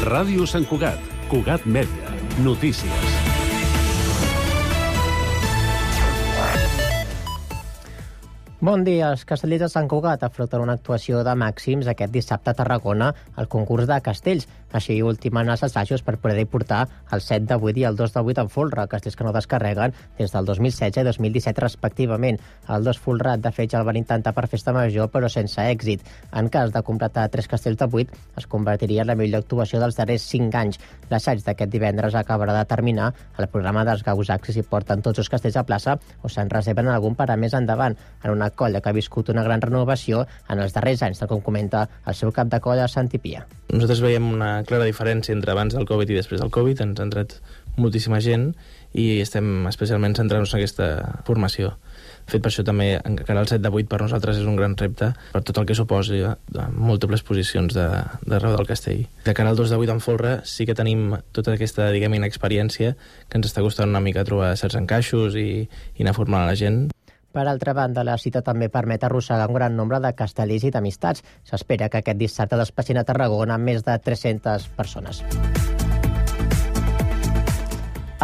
Ràdio Sant Cugat, Cugat Mèdia, notícies. Bon dia. Els castellers de Sant Cugat afronten una actuació de màxims aquest dissabte a Tarragona al concurs de castells. Així ultimen els assajos per poder portar el 7 de 8 i el 2 de 8 en folre, castells que no descarreguen des del 2016 i 2017 respectivament. El 2 folrat de Fetge el van intentar per festa major, però sense èxit. En cas de completar 3 castells de 8, es convertiria en la millor actuació dels darrers 5 anys. L'assaig d'aquest divendres acabarà de terminar. El programa dels Gausacs s'hi porten tots els castells a plaça o se'n reserven algun per a més endavant, en una colla que ha viscut una gran renovació en els darrers anys, tal com comenta el seu cap de colla, Santi Pia. Nosaltres veiem una clara diferència entre abans del Covid i després del Covid. Ens ha entrat moltíssima gent i estem especialment centrant-nos en aquesta formació. De fet, per això també encara el 7 de 8 per nosaltres és un gran repte per tot el que suposi de múltiples posicions d'arreu del castell. De cara al 2 de 8 en folre sí que tenim tota aquesta, diguem, inexperiència que ens està costant una mica trobar certs encaixos i anar formant a la gent. Per altra banda, la cita també permet arrossegar un gran nombre de castellers i d'amistats. S'espera que aquest dissabte despatxin a Tarragona més de 300 persones.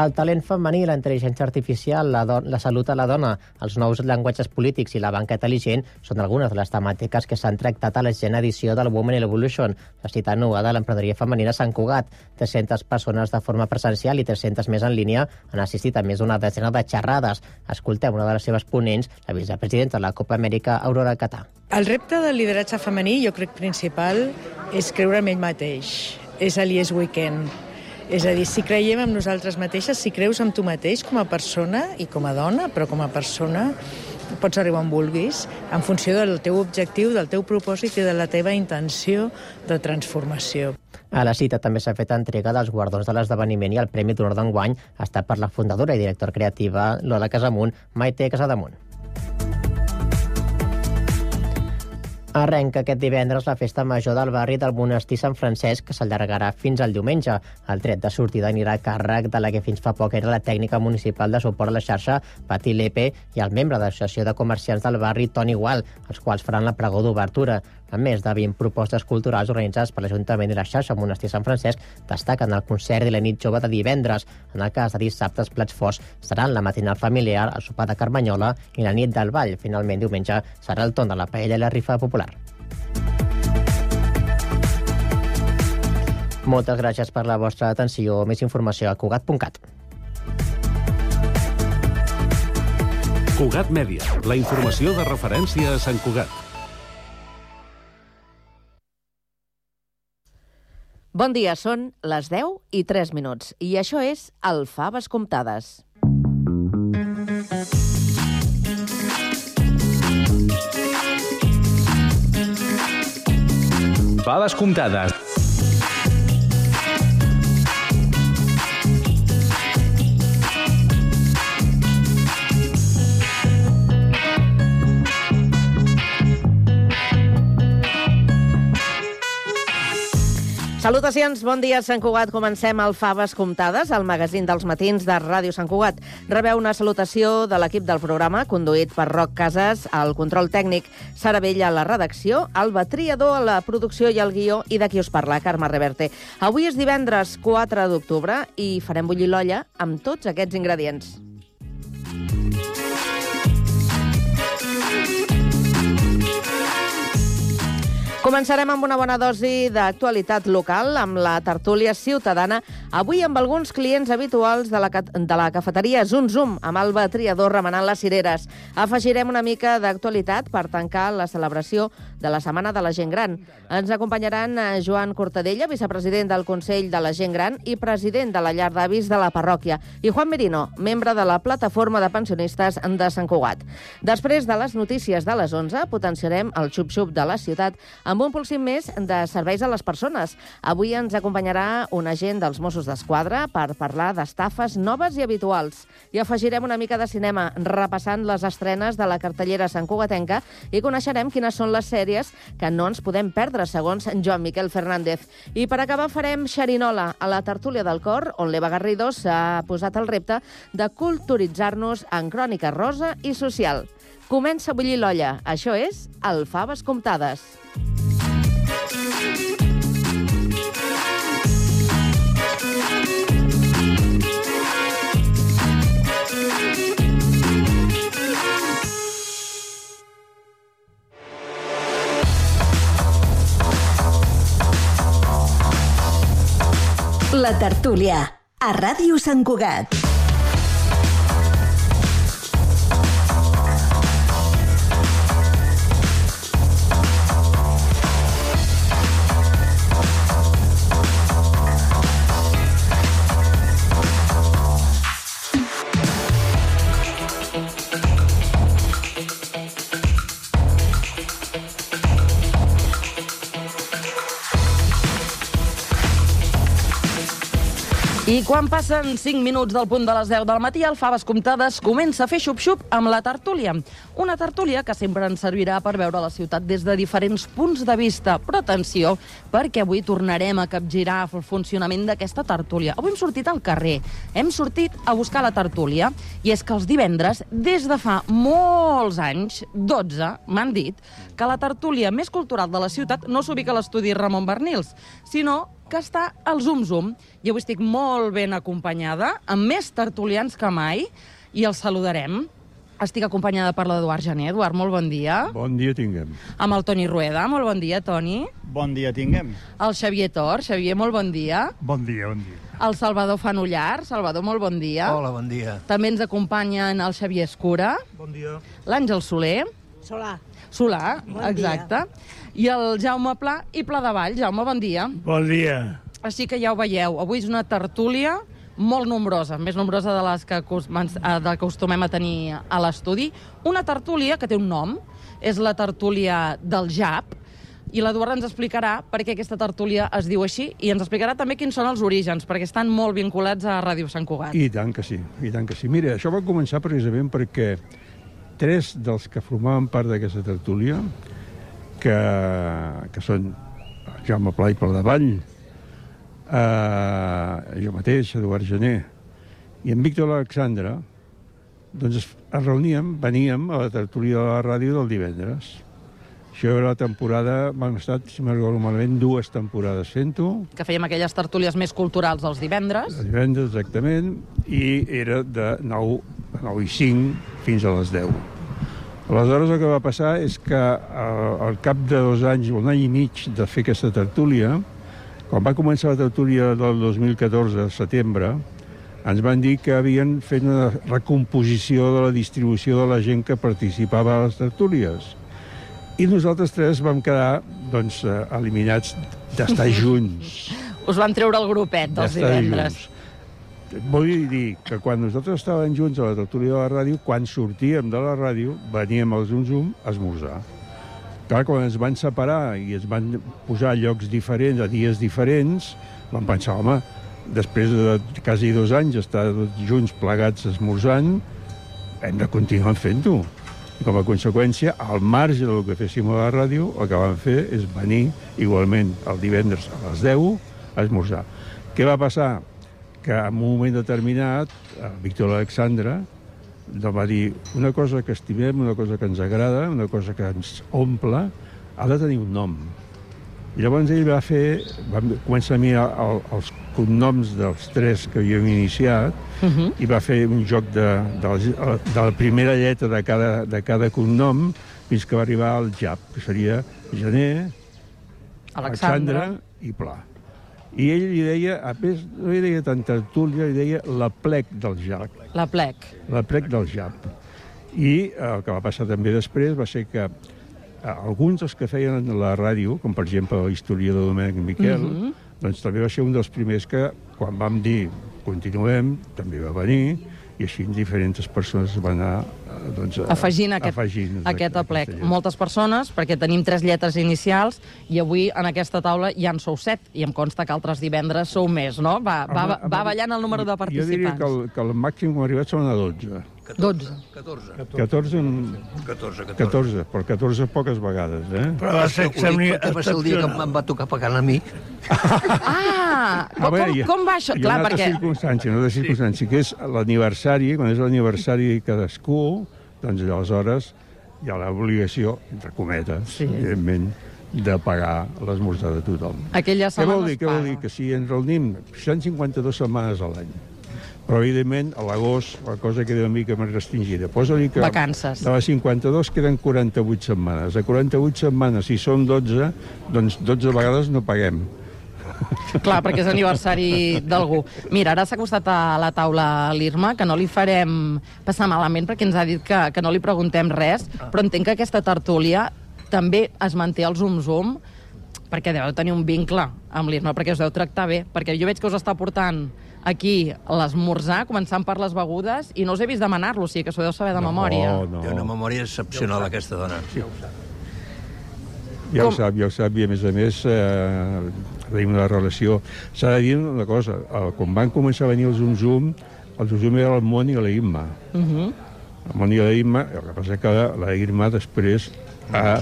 El talent femení, la intel·ligència artificial, la salut a la dona, els nous llenguatges polítics i la banca intel·ligent són algunes de les temàtiques que s'han tractat a la 100ª edició del Women in Evolution, la cita anual de l'emprenedoria femenina a Sant Cugat. 300 persones de forma presencial i 300 més en línia han assistit a més d'una desena de xerrades. Escoltem una de les seves ponents, la vicepresidenta de la Copa Amèrica, Aurora Catà. El repte del lideratge femení, jo crec principal, és creure en ell mateix. És el Yes We Can. És a dir, si creiem en nosaltres mateixes, si creus en tu mateix com a persona i com a dona, però com a persona pots arribar on vulguis, en funció del teu objectiu, del teu propòsit i de la teva intenció de transformació. A la cita també s'ha fet entrega dels guardons de l'esdeveniment i el Premi d'Honor d'enguany ha estat per la fundadora i directora creativa Lola Casamunt, Maite Casademunt. Arrenca aquest divendres la festa major del barri del Monestir Sant Francesc, que s'allargarà fins al diumenge. El tret de sortida anirà a càrrec de la que fins fa poc era la tècnica municipal de suport a la xarxa, Pati Lepe, i el membre de l'Associació de Comerciants del barri, Toni Gual, els quals faran la pregó d'obertura. A més de 20 propostes culturals organitzades per l'Ajuntament i la xarxa Monestir Sant Francesc, destaquen el concert i la nit jove de divendres. En el cas de dissabte, els plats forts seran la matinal familiar, el sopar de Carmanyola i la nit del ball. Finalment, diumenge, serà el torn de la paella i la rifa popular. Moltes gràcies per la vostra atenció. Més informació a Cugat.cat. Cugat Mèdia, la informació de referència a Sant Cugat. Bon dia, són les 10:03 i això és el Faves Comptades. Faves Comptades. Salutacions, bon dia, Sant Cugat. Comencem el Faves Comptades, el magazín dels matins de Ràdio Sant Cugat. Rebeu una salutació de l'equip del programa, conduït per Roc Casas, al control tècnic, Sara Vella a la redacció, Alba Triador a la producció i el guió, i d'aquí us parla, Carme Reverte. Avui és divendres 4 d'octubre i farem bullir l'olla amb tots aquests ingredients. Començarem amb una bona dosi d'actualitat local, amb la tertúlia ciutadana, avui amb alguns clients habituals de la cafeteria Zum Zum, amb Alba Triador remenant les cireres. Afegirem una mica d'actualitat per tancar la celebració de la Setmana de la Gent Gran. Ens acompanyaran Joan Cortadella, vicepresident del Consell de la Gent Gran i president de la Llar d'Avis de la parròquia, i Juan Merino, membre de la Plataforma de Pensionistes de Sant Cugat. Després de les notícies de les 11, potenciarem el xup-xup de la ciutat amb un pulsim més de serveis a les persones. Avui ens acompanyarà un agent dels Mossos d'Esquadra per parlar d'estafes noves i habituals. I afegirem una mica de cinema, repassant les estrenes de la cartellera santcugatenca, i coneixerem quines són les sèries que no ens podem perdre, segons Joan Miquel Fernández. I per acabar farem xerinola a la tertúlia del cor, on l'Eva Garrido s'ha posat el repte de culturitzar-nos en crònica rosa i social. comença a bullir l'olla. Això és el Faves Comptades. La tertúlia, a Ràdio Sant Cugat. I quan passen 5 minuts del punt de les 10 del matí, el Faves Comptades comença a fer xup-xup amb la tertúlia. Una tertúlia que sempre ens servirà per veure la ciutat des de diferents punts de vista. Però atenció, perquè avui tornarem a capgirar el funcionament d'aquesta tertúlia. Avui hem sortit al carrer, hem sortit a buscar la tertúlia, i és que els divendres, des de fa molts anys, 12, m'han dit, que la tertúlia més cultural de la ciutat no s'ubica a l'estudi Ramon Bernils, sinó que està al Zum Zum. I avui estic molt ben acompanyada, amb més tertulians que mai, i els saludarem. Estic acompanyada per l'Eduard Gené. Eduard, molt bon dia. Bon dia tinguem. Amb el Toni Rueda. Molt bon dia, Toni. Bon dia tinguem. El Xavier Tor. Xavier, molt bon dia. Bon dia, bon dia. El Salvador Fanullar. Salvador, molt bon dia. Hola, bon dia. També ens acompanyen el Xavier Escura. Bon dia. L'Àngel Soler. Solà, Bon exacte. I el Jaume Pla i Pla de Vall. Jaume, bon dia. Bon dia. Així que ja ho veieu, avui és una tertúlia molt nombrosa, més nombrosa de les que acostumem a tenir a l'estudi. Una tertúlia que té un nom, és la tertúlia del JAP, i l'Eduard ens explicarà per què aquesta tertúlia es diu així, i ens explicarà també quins són els orígens, perquè estan molt vinculats a Ràdio Sant Cugat. I tant que sí, i tant que sí. Mira, això va començar precisament perquè 3 dels que formaven part d'aquesta tertúlia, que són Jaume Pla i Pla de Vall, jo mateix, Eduard Gené, i en Víctor Alexandre, doncs es reuníem, veníem a la tertúlia de la ràdio del divendres. Això era la temporada, vam estar, si me'n recordo malament, 2 temporades fent-ho. Que fèiem aquelles tertúlies més culturals els divendres. Els divendres, exactament, i era de 9 i 5 fins a les 10. Aleshores, el que va passar és que al cap de 2 anys, un any i mig de fer aquesta tertúlia, quan va començar la tertúlia del 2014, setembre, ens van dir que havien fet una recomposició de la distribució de la gent que participava a les tertúlies. I nosaltres 3 vam quedar, doncs, eliminats d'estar junts. Us van treure el grupet dels divendres. Vull dir que quan nosaltres estàvem junts a la tertúlia de la ràdio, quan sortíem de la ràdio, veníem al Zum Zum a esmorzar. Clar, quan ens van separar i ens van posar a llocs diferents, a dies diferents, vam pensar, home, després de quasi 2 anys estar junts plegats esmorzant, hem de continuar fent-ho. I com a conseqüència, al marge del que féssim a la ràdio, el que vam fer és venir igualment el divendres a les 10 a esmorzar. Què va passar? Que en un moment determinat, Víctor Alexandre va dir una cosa que estimem, una cosa que ens agrada, una cosa que ens omple, ha de tenir un nom. I llavors ell va començar a mirar els cognoms dels 3 que havíem iniciat i va fer un joc de la primera lletra de cada cognom fins que va arribar al JAP, que seria Gené, Alexandre i Pla. I ell li deia, a més, no li deia tant tertúlia, li deia la plec del JAP. La plec. La plec del JAP. I el que va passar també després va ser que alguns dels que feien la ràdio, com per exemple l'historiador de Domènec Miquel, doncs també va ser un dels primers que, quan vam dir continuem, també va venir, i així diferents persones van anar afegint aquest aplec. Moltes persones, perquè tenim 3 lletres inicials, i avui en aquesta taula ja en sou 7, i em consta que altres divendres sou més, no? Va ballant el número de participants. Jo diria que el màxim que hem arribat són a 12. 12. 14, però 14 poques vegades, eh? Però va ser el dia que em va tocar pagant a mi. Com va això? Hi ha una altra circumstància, que és l'aniversari, quan és l'aniversari cadascú, doncs aleshores hi ha l'obligació, entre cometes, evidentment, de pagar l'esmorzar de tothom. Aquella Què vol dir? Què vol dir? Que si ens reunim 152 setmanes a l'any, però, evidentment, a l'agost la cosa queda una mica més restringida. Posa-li que vacances. De les 52 queden 48 setmanes. De 48 setmanes, si som 12, doncs 12 vegades no paguem. Clar, perquè és aniversari d'algú. Mira, ara s'ha acostat a la taula l'Irma, que no li farem passar malament perquè ens ha dit que no li preguntem res, però entenc que aquesta tertúlia també es manté al Zoom, perquè deveu tenir un vincle amb l'Irma, perquè us deu tractar bé, perquè jo veig que us està portant aquí l'esmorzar, començant per les begudes, i no us he vist demanar-lo, o sigui que s'ho deu saber de memòria. Té una memòria excepcional, aquesta dona. Ja ho sap, i a més, tenim una relació. S'ha de dir una cosa, quan van començar a venir el Zoom era el Moni i la Imma. El Moni i la Imma, el que passa que la Irma després ha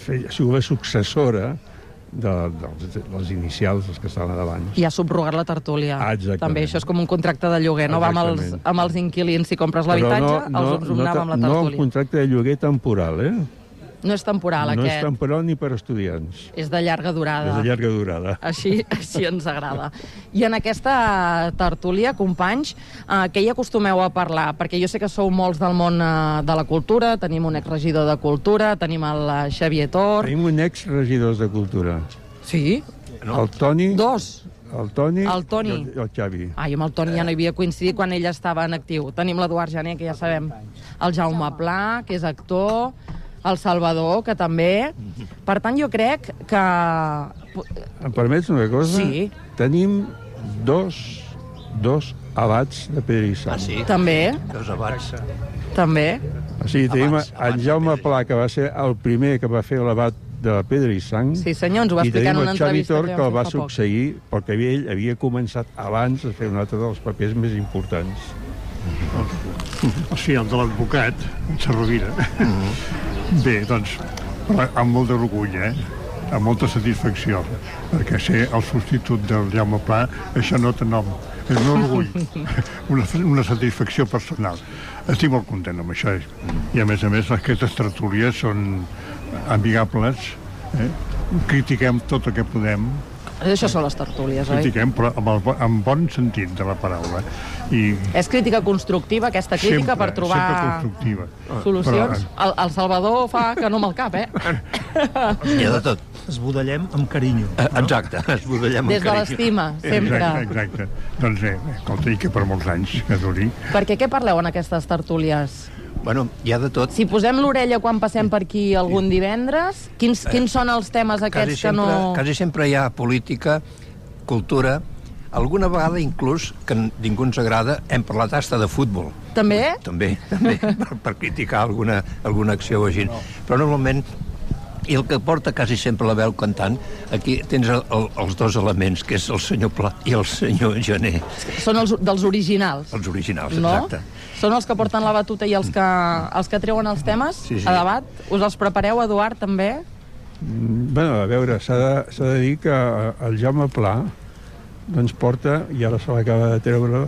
sigut la successora dels inicials, els que estaven davant. I ha subrogat la tertúlia. Exactament. També això és com un contracte de lloguer, no? Va amb els inquilins, si compres l'habitatge, els Zoom anava amb la tertúlia. No un contracte de lloguer temporal, No és temporal, aquest. No és temporal ni per estudiants. És de llarga durada. És de llarga durada. Així ens agrada. I en aquesta tertúlia, companys, què hi acostumeu a parlar? Perquè jo sé que sou molts del món de la cultura, tenim un exregidor de cultura, tenim el Xavier Tor... Tenim un exregidor de cultura. Sí? El Toni... Dos? El Toni i el Xavi. Jo amb el Toni ja no hi havia coincidit quan ell estava en actiu. Tenim l'Eduard Jané, que ja sabem. El Jaume Pla, que és actor... El Salvador, que també... Per tant, jo crec que... Em permets una cosa? Sí. Tenim dos abats de Pedrissant. Ah, sí? També. Dos abats. També. O sigui, tenim en Jaume Pla, que va ser el primer que va fer l'abat de Pedrissant. Sí, senyor, ens ho va explicar en una entrevista que vam fer fa poc. I tenim el Xavi Tor, que el va succeir, perquè ell havia començat abans a fer un altre dels papers més importants. Sí, el de l'advocat, Sarrovira. Bé, doncs, amb molt d'orgull, amb molta satisfacció, perquè ser el substitut del Jaume Pla, això no té nom. És un orgull, una satisfacció personal. Estic molt content amb això. I, a més, aquestes tertúlies són amigables, critiquem tot el que podem. Això són les tertúlies, oi? Critiquem, però amb bon sentit de la paraula. És crítica constructiva, aquesta crítica, per trobar solucions? El Salvador fa que no amb el cap, Hi ha de tot. Esbudellem amb carinyo. Exacte, esbudellem amb carinyo. Des de l'estima, sempre. Exacte. Doncs bé, escolta, i que per molts anys que duri. Perquè què parleu en aquestes tertúlies? Bueno, hi ha de tot. Si posem l'orella quan passem per aquí algun divendres, quins són els temes aquests que no... Quasi sempre hi ha política, cultura, alguna vegada inclús, que ningú ens agrada, hem parlat hasta de futbol. També? També, per criticar alguna acció o així. Però normalment, i el que porta quasi sempre la veu cantant, aquí tens els dos elements, que és el senyor Pla i el senyor Jané. Són els dels originals. Els originals, no? exacte. Són els que porten la batuta i els que treuen els temes a debat? Us els prepareu, Eduard, també? Bé, a veure, s'ha de dir que el Jaume Pla doncs porta, i ara se l'acaba de treure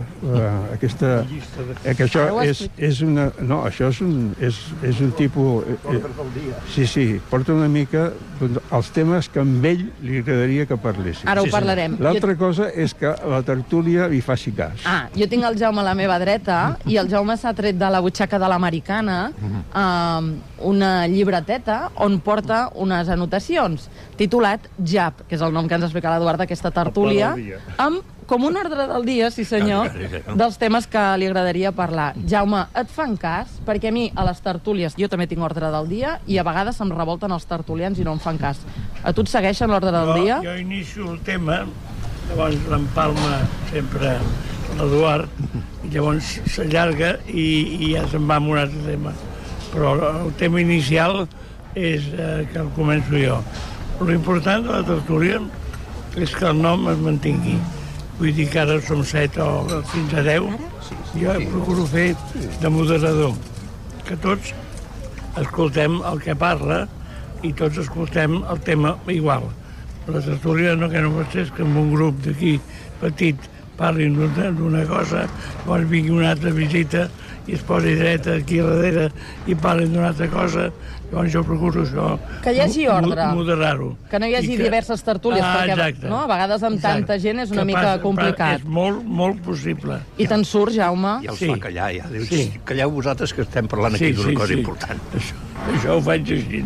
aquesta... que això és una... No, això és un tipus... Sí, porta una mica els temes que amb ell li agradaria que parlessin. Ara ho parlarem. L'altra cosa és que la tertúlia li faci cas. Jo tinc el Jaume a la meva dreta i el Jaume s'ha tret de la butxaca de l'americana una llibreteta on porta unes anotacions titulat JAP, que és el nom que ens explica l'Eduard d'aquesta tertúlia, amb com un ordre del dia, sí senyor, dels temes que li agradaria parlar. Jaume, et fan cas? Perquè a mi, a les tertúlies, jo també tinc ordre del dia i a vegades em revolten els tertulians i no em fan cas. A tu et segueixen l'ordre del dia? Jo inicio el tema, llavors l'empalma sempre l'Eduard, i llavors s'allarga i ja se'n va amb un altre tema. Però el tema inicial és que el començo jo. L'important de la tertúlia és que el nom es mantingui. Vull dir que ara som 7 o fins a 10. Jo procuro fer de moderador, que tots escoltem el que parla i tots escoltem el tema igual. La tertúlia no pot ser que en un grup d'aquí petit parlin d'una cosa, llavors vingui una altra visita i es posi dreta aquí darrere i parli d'una altra cosa, llavors jo procuro això, que hi hagi ordre, moderar-ho. Que no hi hagi diverses tertúlies, perquè a vegades amb tanta gent és una mica complicat. És molt possible. I te'n surt, Jaume? Ja els fa callar, ja. Calleu vosaltres que estem parlant aquí d'una cosa important. Això ho faig així,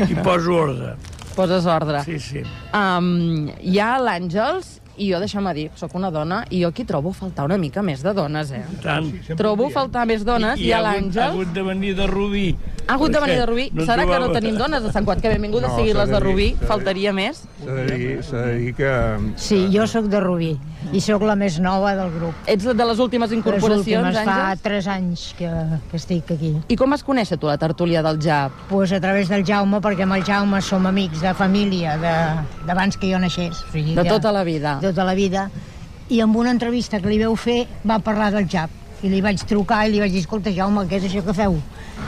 i poso ordre. Poses ordre. Sí. Hi ha l'Àngels, i jo, deixa'm dir, sóc una dona, i jo aquí trobo faltar una mica més de dones, Tant. Trobo faltar més dones, i a l'Àngels... Ha hagut de venir de Rubí. Ha hagut de venir de Rubí. Serà que no tenim dones a Sant Cugat, que benvingut a seguir les de Rubí, faltaria més. S'ha de dir que... Sí, jo sóc de Rubí, i sóc la més nova del grup. Ets de les últimes incorporacions, Àngels? Fa 3 anys que estic aquí. I com vas conèixer tu la tertúlia del JAP? Pues a través del Jaume, perquè amb el Jaume som amics de família, d'abans que jo naixés. O sigui, de tota la vida. Tota la vida. I amb una entrevista que li veu fer va parlar del JAP. I li vaig trucar i li vaig dir, escolta, Jaume, què és això que feu?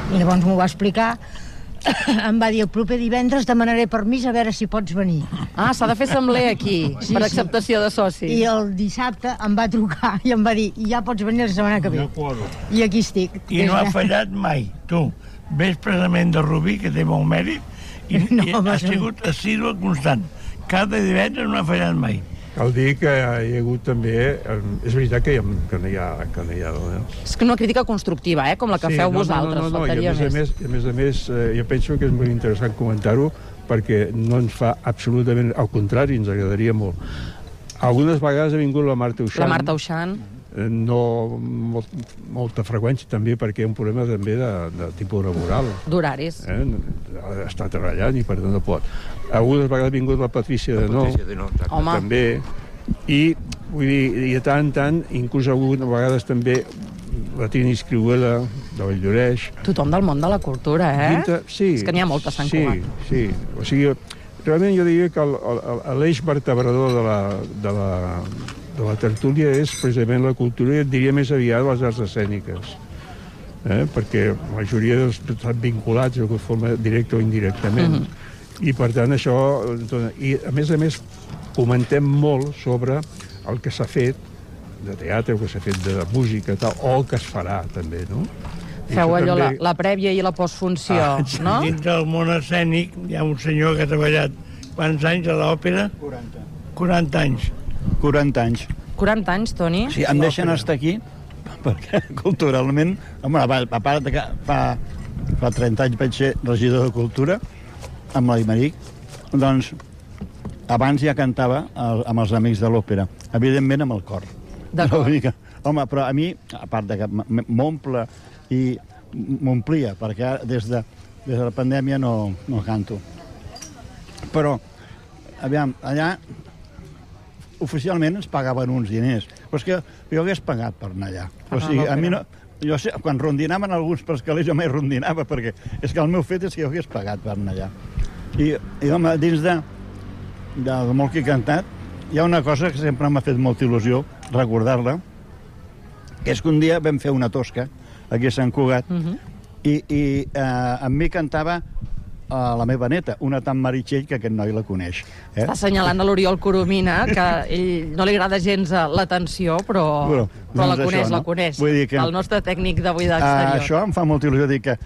I llavors m'ho va explicar. Em va dir, el proper divendres demanaré permís a veure si pots venir. Ah, s'ha de fer assembler aquí, per acceptació de socis. I el dissabte em va trucar i em va dir, ja pots venir la setmana que ve. I aquí estic. I no ha fallat mai, tu. Ves precisament de Rubí, que té molt mèrit, i ha sigut assídua constant. Cada divendres no ha fallat mai. Cal dir que hi ha hagut també... És veritat que no hi ha dones. És que una crítica constructiva, com la que feu vosaltres, faltaria més. I a més, jo penso que és molt interessant comentar-ho, perquè no ens fa absolutament... Al contrari, ens agradaria molt. Algunes vegades ha vingut la Marta Uixant. La Marta Uixant. No molta freqüència, també, perquè hi ha un problema també de tipus laboral. D'horaris. Està treballant i per tant no pot. Algunes vegades ha vingut la Patrícia de Nou, també, i vull dir, i de tant en tant, inclús a vegades també la Trini Escriuela, de Valldoreix. Tothom del món de la cultura, Sí. És que n'hi ha molt a Sant Cugat. Sí. O sigui, realment jo diria que l'eix vertebrador de la tertúlia és precisament la cultura, i et diria més aviat les arts escèniques. Perquè la majoria estan vinculats de forma directa o indirectament. I per tant això... I a més comentem molt sobre el que s'ha fet de teatre, el que s'ha fet de música tal, o el que es farà també, no? Feu allò, la prèvia i la postfunció, no? Dins del món escènic hi ha un senyor que ha treballat quants anys a l'òpera? 40 anys. 40 anys. 40 anys, Toni? Sí, em deixen estar aquí perquè culturalment, a part de que fa 30 anys vaig ser regidor de Cultura amb l'Aimeric, doncs abans ja cantava amb els amics de l'òpera, evidentment amb el cor. D'acord. Home, però a mi, a part de que m'omple i m'omplia, perquè des de la pandèmia no canto. Però, aviam, allà oficialment ens pagaven uns diners, però és que jo hagués pagat per anar allà. O sigui, a mi no... Jo sé, quan rondinaven alguns per escalers jo mai rondinava, perquè és que el meu fet és que jo hagués pagat per anar allà. I home, dins de molt que he cantat, hi ha una cosa que sempre m'ha fet molta il·lusió recordar-la, que és que un dia vam fer una tosca aquí a Sant Cugat, i amb mi cantava la meva neta, una tan Meritxell que aquest noi la coneix. Està assenyalant a l'Oriol Coromina, que ell no li agrada gens l'atenció, però la coneix, la coneix. El nostre tècnic d'avui d'exterior. Això em fa molta il·lusió dir que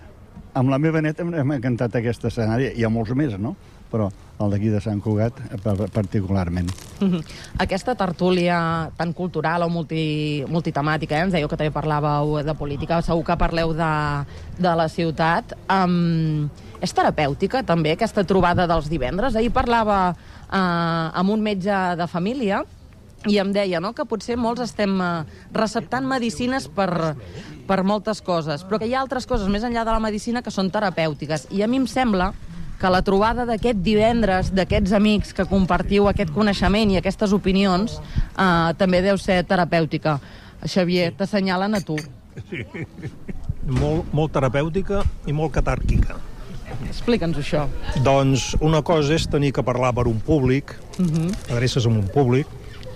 amb la meva neta hem cantat aquest escenari. Hi ha molts més, no? Però el d'aquí de Sant Cugat particularment. Aquesta tertúlia tan cultural o multitemàtica, ens dèieu que també parlàveu de política, segur que parleu de la ciutat. És terapèutica, també, aquesta trobada dels divendres? Ahir parlava amb un metge de família i em deia que potser molts estem receptant medicines per moltes coses, però que hi ha altres coses més enllà de la medicina que són terapèutiques. I a mi em sembla que la trobada d'aquest divendres, d'aquests amics que compartiu aquest coneixement i aquestes opinions, també deu ser terapèutica. Xavier, t'assenyalen a tu. Sí, molt terapèutica i molt catàrquica. Explica'ns això. Doncs una cosa és tenir que parlar per un públic, adreces amb un públic,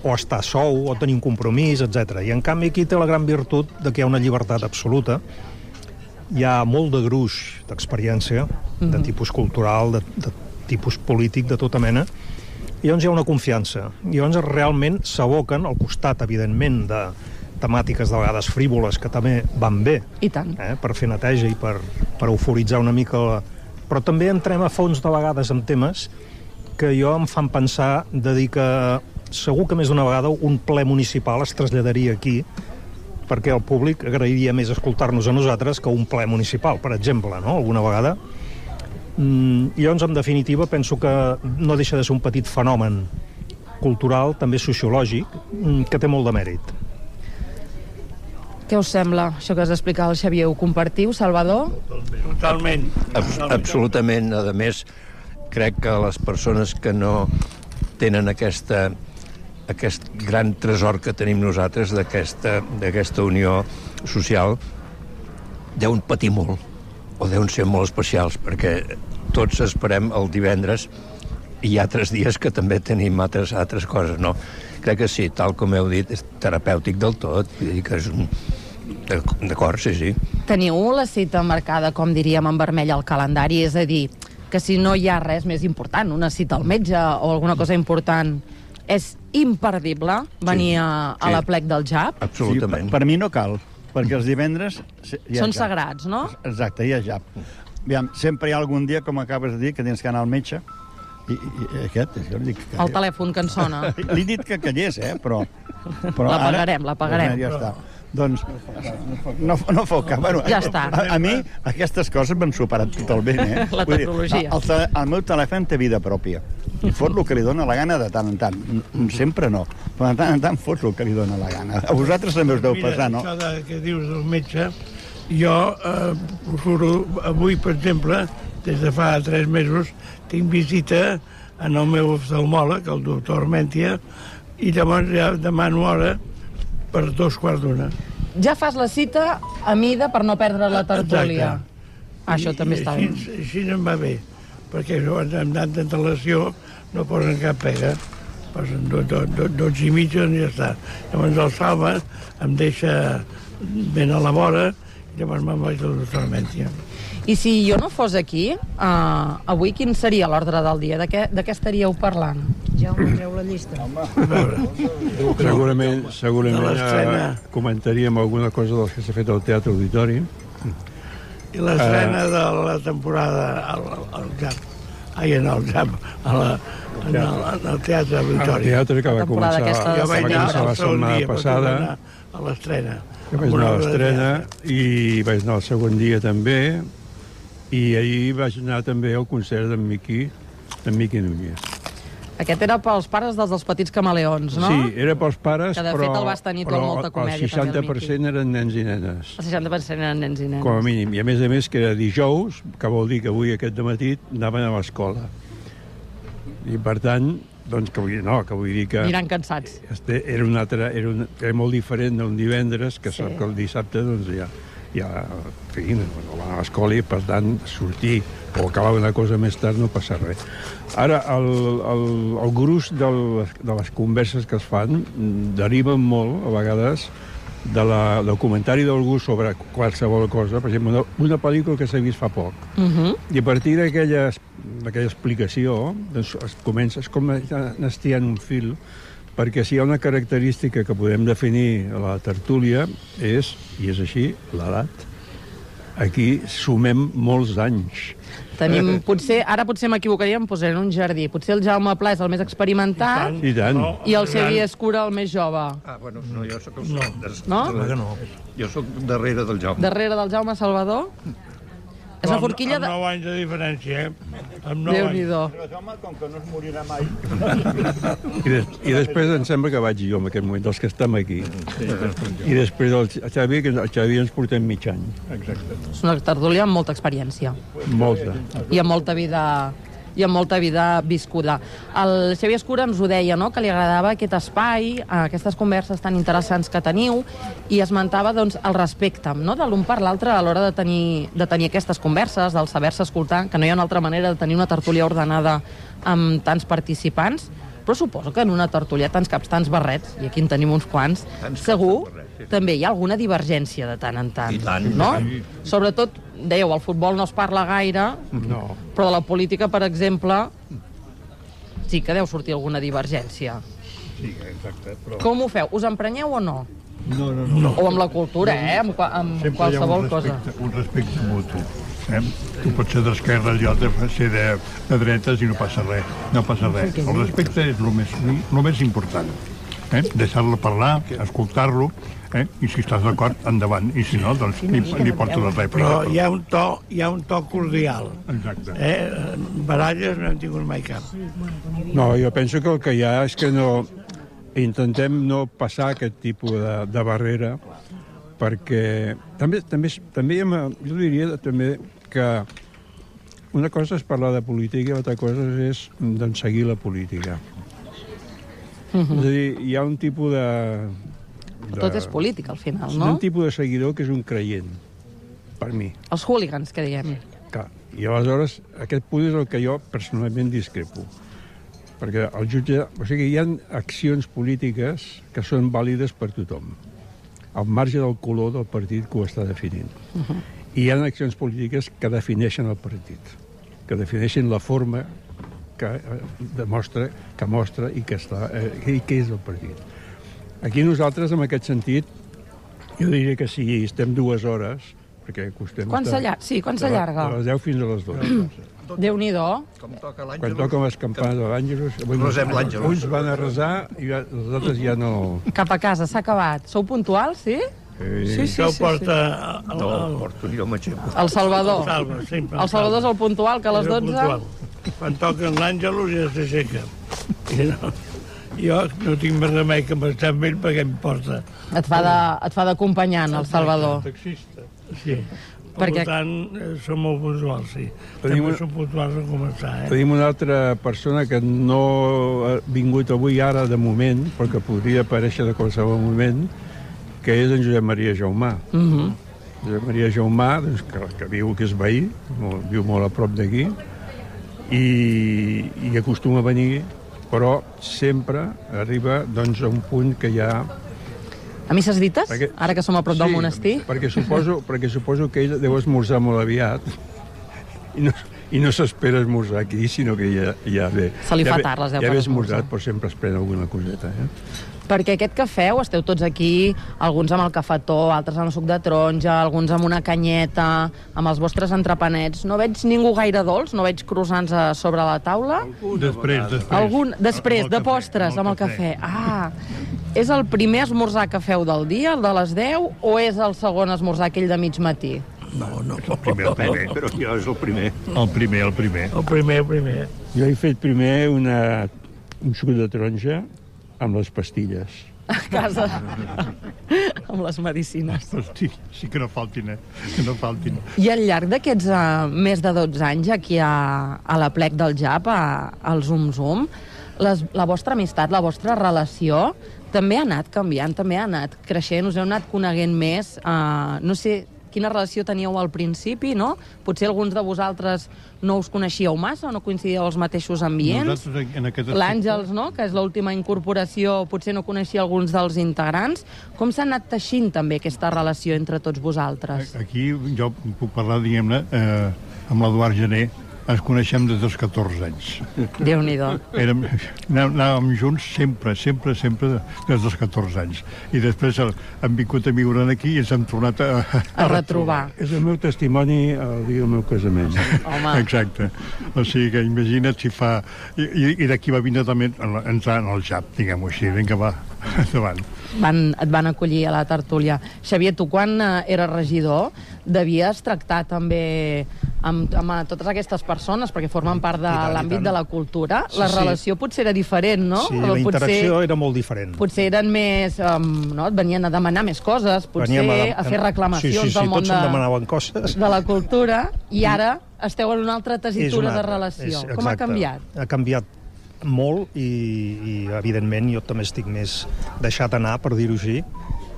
o estar sou, o tenir un compromís, etc. I en canvi aquí té la gran virtut de que hi ha una llibertat absoluta, hi ha molt de gruix d'experiència, de tipus cultural, de tipus polític, de tota mena, i llavors hi ha una confiança. I llavors realment s'aboquen, al costat, evidentment, temàtiques de vegades frívoles que també van bé. I tant. Per fer neteja i per euforitzar una mica. Però també entrem a fons de vegades en temes que jo em fan pensar de dir que segur que més d'una vegada un ple municipal es traslladaria aquí perquè el públic agrairia més escoltar-nos a nosaltres que un ple municipal, per exemple, no? Alguna vegada. I llavors, en definitiva, penso que no deixa de ser un petit fenomen cultural, també sociològic, que té molt de mèrit. Què us sembla, això que has d'explicar el Xavier? Ho compartiu, Salvador? Totalment. Absolutament. A més, crec que les persones que no tenen aquest gran tresor que tenim nosaltres d'aquesta unió social deuen patir molt o deuen ser molt especials, perquè tots esperem el divendres i hi ha altres dies que també tenim altres coses, no? Crec que sí, tal com heu dit, és terapèutic del tot, vull dir que és un... D'acord, sí. Teniu la cita marcada, com diríem, en vermell al calendari, és a dir, que si no hi ha res més important, una cita al metge o alguna cosa important, és imperdible venir a l'aplec del JAP? Absolutament. Sí, per mi no cal, perquè els divendres... Són sagrats, no? Exacte, hi ha JAP. Aviam, sempre hi ha algun dia, com acabes de dir, que tens que anar al metge, i aquest... Jo dic que... El telèfon que ens sona. Li he dit que callés, però la pagarem. Ja està. Doncs no fot cap. Bueno, ja està. A mi aquestes coses m'han superat totalment, La tecnologia. El meu telèfon té vida pròpia. Fot el que li dóna la gana de tant en tant. Sempre no, però de tant en tant fot el que li dóna la gana. A vosaltres també us deu passar, no? Mira, això que dius del metge, jo procuro, avui, per exemple, des de fa 3 mesos, tinc visita en el meu oftalmòleg, el doctor Armentia, i llavors ja demano hora per 2:15. Ja fas la cita a mida per no perdre la tertúlia. Això també està bé. Així no em va bé, perquè amb tanta antelació no posen cap pega. Posen 12 i mitja i ja està. Llavors el Salva em deixa ben a la vora i llavors me'n vaig al doctor Armentia. I si jo no fos aquí, avui quin seria l'ordre del dia? De què estaríeu parlant? Jaume, treu la llista. Segurament comentaríem alguna cosa del que s'ha fet al Teatre Auditori. I l'estrena de la temporada al JAP. En el Teatre Auditori. El teatre que va començar la setmana passada. A l'estrena. Vaig anar a l'estrena i vaig anar el segon dia també. I ahir vaig anar també al concert d'en Miqui Núñez. Aquest era pels pares dels petits camaleons, no? Sí, era pels pares, que de fet el vas tenir tu amb molta comèdia. El 60% eren nens i nenes. El 60% eren nens i nenes. Com a mínim. I a més que era dijous, que vol dir que avui aquest dematí anaven a l'escola. I per tant, doncs que vull dir que... Aniran cansats. Era molt diferent d'un divendres, que sap que el dissabte doncs ja van a l'escola i per tant sortir o acabar una cosa més tard no passa res. Ara, el gruix de les converses que es fan deriven molt, a vegades, del comentari d'algú sobre qualsevol cosa, per exemple, una pel·lícula que s'ha vist fa poc. I a partir d'aquella explicació doncs comences com anar estiant un fil, perquè si hi ha una característica que podem definir a la tertúlia és, i és així, l'edat. Aquí sumem molts anys. Tenim, ara potser m'equivocaria, em posaré en un jardí. Potser el Jaume Pla és el més experimentat i el Xavier Escura el més jove. Bueno, no, jo soc el... No? Jo soc darrere del Jaume. Darrere del Jaume Salvador? És una forquilla de... Amb 9 anys de diferència, Déu-n'hi-do. Però Jaume, com que no es morirà mai... I després em sembla que vaig jo en aquest moment, dels que estem aquí. I després el Xavi ens portem mig any. Exacte. És una tertúlia amb molta experiència. Molta. I amb molta vida viscuda. El Xavier Escura ens ho deia, no?, que li agradava aquest espai, aquestes converses tan interessants que teniu, i esmentava doncs, el respecte, no?, de l'un per l'altre a l'hora de tenir aquestes converses, del saber-se escoltar, que no hi ha una altra manera de tenir una tertúlia ordenada amb tants participants, però suposo que en una tertúlia tants caps, tants barrets, i aquí en tenim uns quants, segur també hi ha alguna divergència de tant en tant. No? Sobretot, dèieu, el futbol no es parla gaire, però de la política, per exemple, sí que deu sortir alguna divergència. Sí, exacte. Com ho feu? Us emprenyeu o no? No. O amb la cultura, amb qualsevol cosa. Un respecte mutu. Tu pots ser d'esquerra i l'altre pot ser de dretes i no passa res. El respecte és el més important. Deixar-lo parlar, escoltar-lo, i si estàs d'acord, endavant. I si no, doncs li porto la rèplica. Però hi ha un to cordial. Exacte. Baralles no hem tingut mai cap. No, jo penso que el que hi ha és que intentem no passar aquest tipus de barrera, perquè també jo diria també que una cosa és parlar de política i l'altra cosa és seguir la política. És a dir, hi ha un tipus de... Tot és política, al final, no? Un tipus de seguidor que és un creient, per mi. Els hooligans, que diguem. Clar. I aleshores, aquest punt és el que jo personalment discrepo. Perquè el jutge... O sigui, hi ha accions polítiques que són vàlides per tothom, al marge del color del partit que ho està definint. I hi ha accions polítiques que defineixen el partit, que defineixen la forma que mostra i que és el partit. Aquí nosaltres, en aquest sentit, jo diria que si estem 2 hores, perquè acostem... Quan s'allarga? De les 10 fins a les 12. Déu-n'hi-do. Quan toquen les campanes de l'Àngelus, uns van a resar i els altres ja no... Cap a casa, s'ha acabat. Sou puntuals, sí? Sí. Això ho porta... No, ho porto jo, m'aixeco. El Salvador. El Salvador és el puntual, que a les 12... Quan toquen l'Àngelus ja s'aixeca. Jo no tinc més remei que m'estar amb ell perquè em porta. Et fa d'acompanyant, el Salvador. Taxista, sí. Per tant, som molt puntuals, sí. També som puntuals a començar, Tenim una altra persona que no ha vingut avui ara de moment, però que podria aparèixer de qualsevol moment, que és en Josep Maria Jaumà. Josep Maria Jaumà, que viu que és veí, viu molt a prop d'aquí, i acostuma a venir, però sempre arriba a un punt que hi ha... A misses dites? Ara que som a prop del monestir? Perquè suposo que ell deu esmorzar molt aviat i no s'espera esmorzar aquí, sinó que ja ve... Se li fa tard, les 10 ja ve esmorzat, però sempre es pren alguna coseta, Perquè aquest que feu, esteu tots aquí, alguns amb el cafetó, altres amb suc de taronja, alguns amb una canyeta, amb els vostres entrepanets. No veig ningú gaire dolç? No veig croissants a sobre la taula? Després, de postres, amb el cafè. És el primer esmorzar que feu del dia, el de les 10, o és el segon esmorzar, aquell de mig matí? No, el primer, però jo és el primer. El primer. Jo he fet primer un suc de taronja amb les pastilles. A casa. Amb les medicines. Sí que no faltin, Que no faltin. I al llarg d'aquests més de 12 anys aquí a la plec del JAP, al Zoom Zoom, la vostra amistat, la vostra relació, també ha anat canviant, també ha anat creixent, us heu anat coneguent més. No sé quina relació teníeu al principi, no? Potser alguns de vosaltres no us coneixíeu massa o no coincidíeu als mateixos ambients. L'Àngels, no?, que és l'última incorporació, potser no coneixia alguns dels integrants. Com s'ha anat teixint també aquesta relació entre tots vosaltres? Aquí jo puc parlar, diguem-ne, amb l'Eduard Gené. Ens coneixem des dels 14 anys. Déu-n'hi-do. Anàvem junts sempre, des dels 14 anys. I després hem vingut a viure aquí i ens hem tornat a retrobar. És el meu testimoni el dia del meu casament. Home. Exacte. O sigui que imagina't si fa... I d'aquí va vindre també entrar en el JAP, diguem-ho així. Vinga, va, endavant. Et van acollir a la tertúlia. Xavier, tu quan eres regidor devies tractar també amb totes aquestes persones, perquè formen part de l'àmbit de la cultura. La relació potser era diferent, no? Sí, la interacció era molt diferent. Potser eren més... no? Et venien a demanar més coses, potser a fer reclamacions del món tots em demanaven coses. De la cultura, i ara esteu en una altra tessitura de relació. Com ha canviat? Ha canviat molt i evidentment jo també estic més deixat anar, per dir-ho així,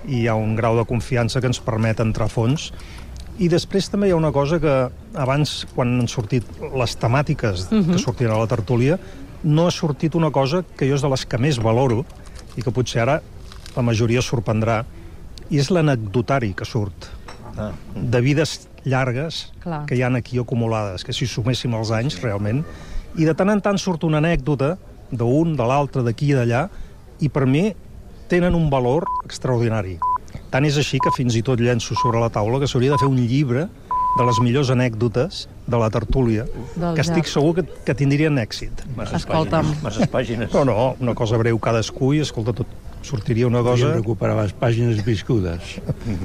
i hi ha un grau de confiança que ens permet entrar a fons. I després també hi ha una cosa que abans, quan han sortit les temàtiques que sortien a la tertúlia, no ha sortit una cosa que jo és de les que més valoro i que potser ara la majoria sorprendrà, i és l'anecdotari que surt de vides llargues que hi ha aquí acumulades, que si suméssim els anys realment, i de tant en tant surt una anècdota d'un, de l'altre, d'aquí i d'allà, i per mi tenen un valor extraordinari. Tant és així que fins i tot llenço sobre la taula que s'hauria de fer un llibre de les millors anècdotes de la tertúlia, que estic segur que tindrien èxit. Escolta'm. Masses pàgines. Però no, una cosa breu cadascú i, escolta, tot sortiria una cosa... Podríem recuperar les pàgines viscudes.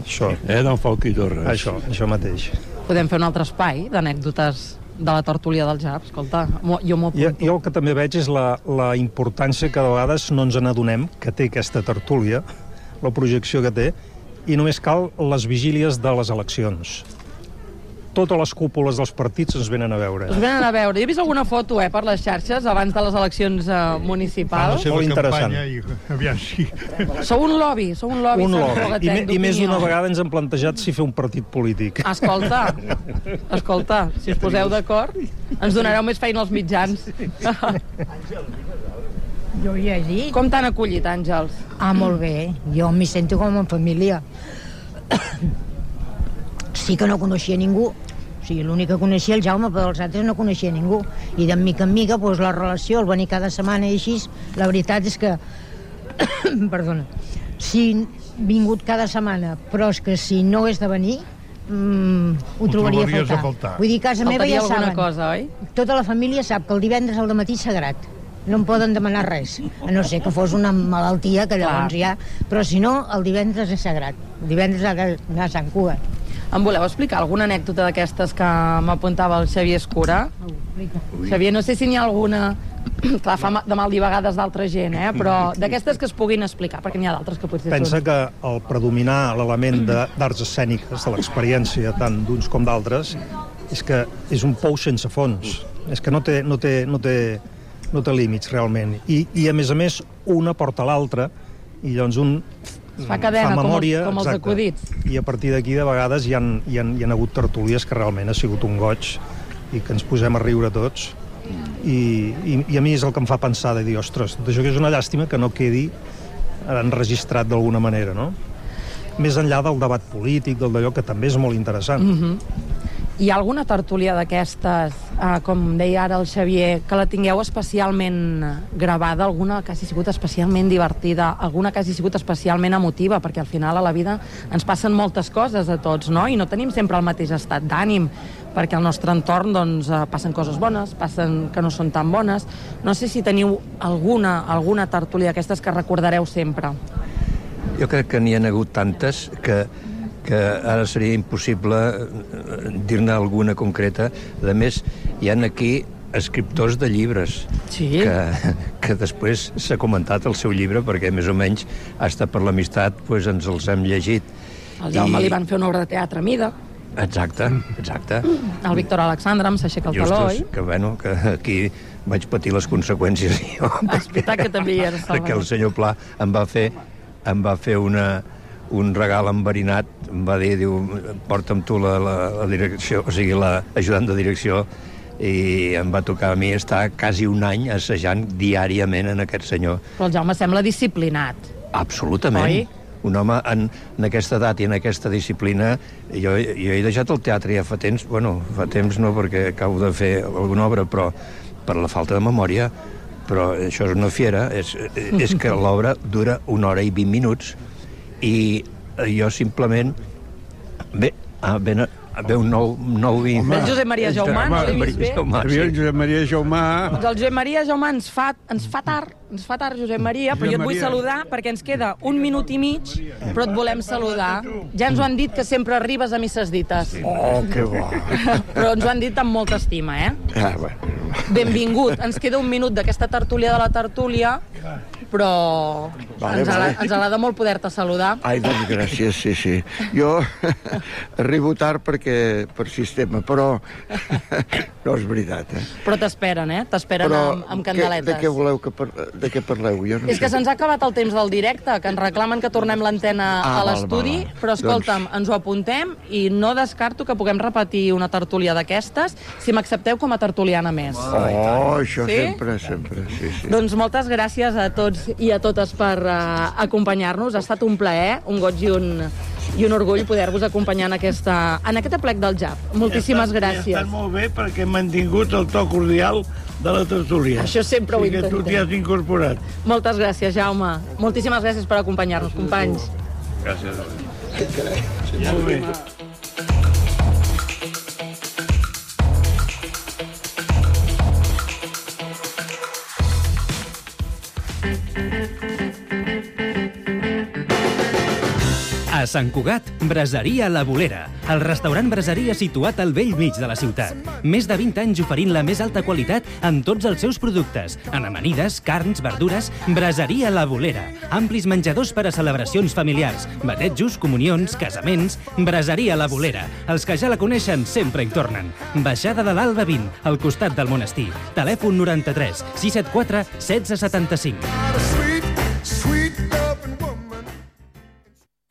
Això. Del Falc i Torres. Això mateix. Podem fer un altre espai d'anècdotes de la tertúlia del JAP, escolta, jo m'ho apunto. Jo el que també veig és la importància que de vegades no ens n'adonem que té aquesta tertúlia, la projecció que té, i només cal les vigílies de les eleccions. Totes les cúpules dels partits ens venen a veure. Us venen a veure. Jo he vist alguna foto per les xarxes abans de les eleccions municipals. Molt interessant. Aviam, sí. Sou un lobby. Un lobby. I més d'una vegada ens hem plantejat si fer un partit polític. Escolta, si us poseu d'acord, ens donareu més feina als mitjans. Jo hi he dit. Com t'han acollit, Àngels? Molt bé. Jo m'hi sento com en família. Sí que no coneixia ningú. O sigui, l'únic que coneixia el Jaume, però els altres no coneixia ningú. I de mica en mica, doncs, la relació, el venir cada setmana i així, la veritat és que... Perdona. Si vingut cada setmana, però és que si no és de venir, ho trobaria a faltar. Vull dir, a casa meva ja saben. Cosa, oi? Tota la família sap que el divendres al matí és sagrat. No em poden demanar res, a no ser que fos una malaltia, que llavors ja... Però si no, el divendres és sagrat. El divendres ha d'anar a Sant Cugat. Em voleu explicar alguna anècdota d'aquestes que m'apuntava el Xavier Escura? Xavier, no sé si n'hi ha alguna... Clar, fa de mal dir vegades d'altra gent, però d'aquestes que es puguin explicar, perquè n'hi ha d'altres que potser Pensa que el predominar l'element d'arts escèniques, de l'experiència tant d'uns com d'altres, és que és un pou sense fons. És que no té límits, realment. I, a més, una porta l'altra, i llavors un fa cadena, memòria, com els acudits. I a partir d'aquí, de vegades, hi han hagut tertúlies que realment ha sigut un goig i que ens posem a riure tots. I a mi és el que em fa pensar de dir, ostres, tot això que és una llàstima que no quedi enregistrat d'alguna manera, no? Més enllà del debat polític, d'allò que també és molt interessant. Hi ha alguna tertúlia d'aquestes, com deia ara el Xavier, que la tingueu especialment gravada, alguna que hagi sigut especialment divertida, alguna que hagi sigut especialment emotiva, perquè al final a la vida ens passen moltes coses a tots, no? I no tenim sempre el mateix estat d'ànim, perquè al nostre entorn passen coses bones, passen que no són tan bones. No sé si teniu alguna tertúlia d'aquestes que recordareu sempre. Jo crec que n'hi ha hagut tantes que ara seria impossible dir-ne alguna concreta. A més, hi ha aquí escriptors de llibres que després s'ha comentat el seu llibre perquè més o menys hasta per l'amistat ens els hem llegit. Al Jaume li van fer una obra de teatre a mida. Exacte. El Víctor Alexandre em s'aixeca el taló, oi? Que aquí vaig patir les conseqüències jo. És veritat que també hi eres, perquè el senyor Pla em va fer un regal enverinat, em va dir, diu, porta'm tu la direcció, o sigui, l'ajudant de direcció, i em va tocar a mi estar quasi un any assajant diàriament en aquest senyor. Però el Jaume sembla disciplinat. Absolutament. Oi? Un home en aquesta edat i en aquesta disciplina, jo he deixat el teatre ja fa temps no perquè acabo de fer alguna obra, però per la falta de memòria, però això és una fiera, és que l'obra dura 1 hora i 20 minuts, i jo simplement ve un nou vi. Ve el Josep Maria Jaumà, no l'he vist bé? El Josep Maria Jaumà. El Josep Maria Jaumà ens fa tard, Josep Maria, però jo et vull saludar perquè ens queda 1 minut i mig, però et volem saludar. Ja ens ho han dit que sempre arribes a misses dites. Oh, que bo. Però ens ho han dit amb molta estima, Benvingut. Ens queda 1 minut d'aquesta tertúlia de la tertúlia, però ens agrada molt poder-te saludar. Ai, doncs gràcies, sí. Jo arribo tard per sistema, però no és veritat, Però t'esperen, T'esperen amb candeletes. De què voleu de què parleu? És que se'ns ha acabat el temps del directe, que ens reclamen que tornem l'antena a l'estudi, però escolta'm, ens ho apuntem i no descarto que puguem repetir una tertúlia d'aquestes si m'accepteu com a tertuliana més. Oh, això sempre, sí. Doncs moltes gràcies a tots i a totes per acompanyar-nos. Ha estat un plaer, un goig i un orgull poder-vos acompanyar en aquest aplec del JAP. Moltíssimes gràcies. Ha estat molt bé perquè hem mantingut el to cordial de la tertúlia. Això sempre ho intentem. I que tu t'hi has incorporat. Moltes gràcies, Jaume. Moltíssimes gràcies per acompanyar-nos, companys. Gràcies. Que carai. Molt bé. A Sant Cugat, Braseria La Bolera, el restaurant braseria situat al vell mig de la ciutat. Més de 20 anys oferint la més alta qualitat en tots els seus productes. En amanides, carns, verdures, Braseria La Bolera. Amplis menjadors per a celebracions familiars, batejos, comunions, casaments. Braseria La Bolera. Els que ja la coneixen sempre hi tornen. Baixada de l'Alba 20, al costat del monestir. Telèfon 93 674 1675.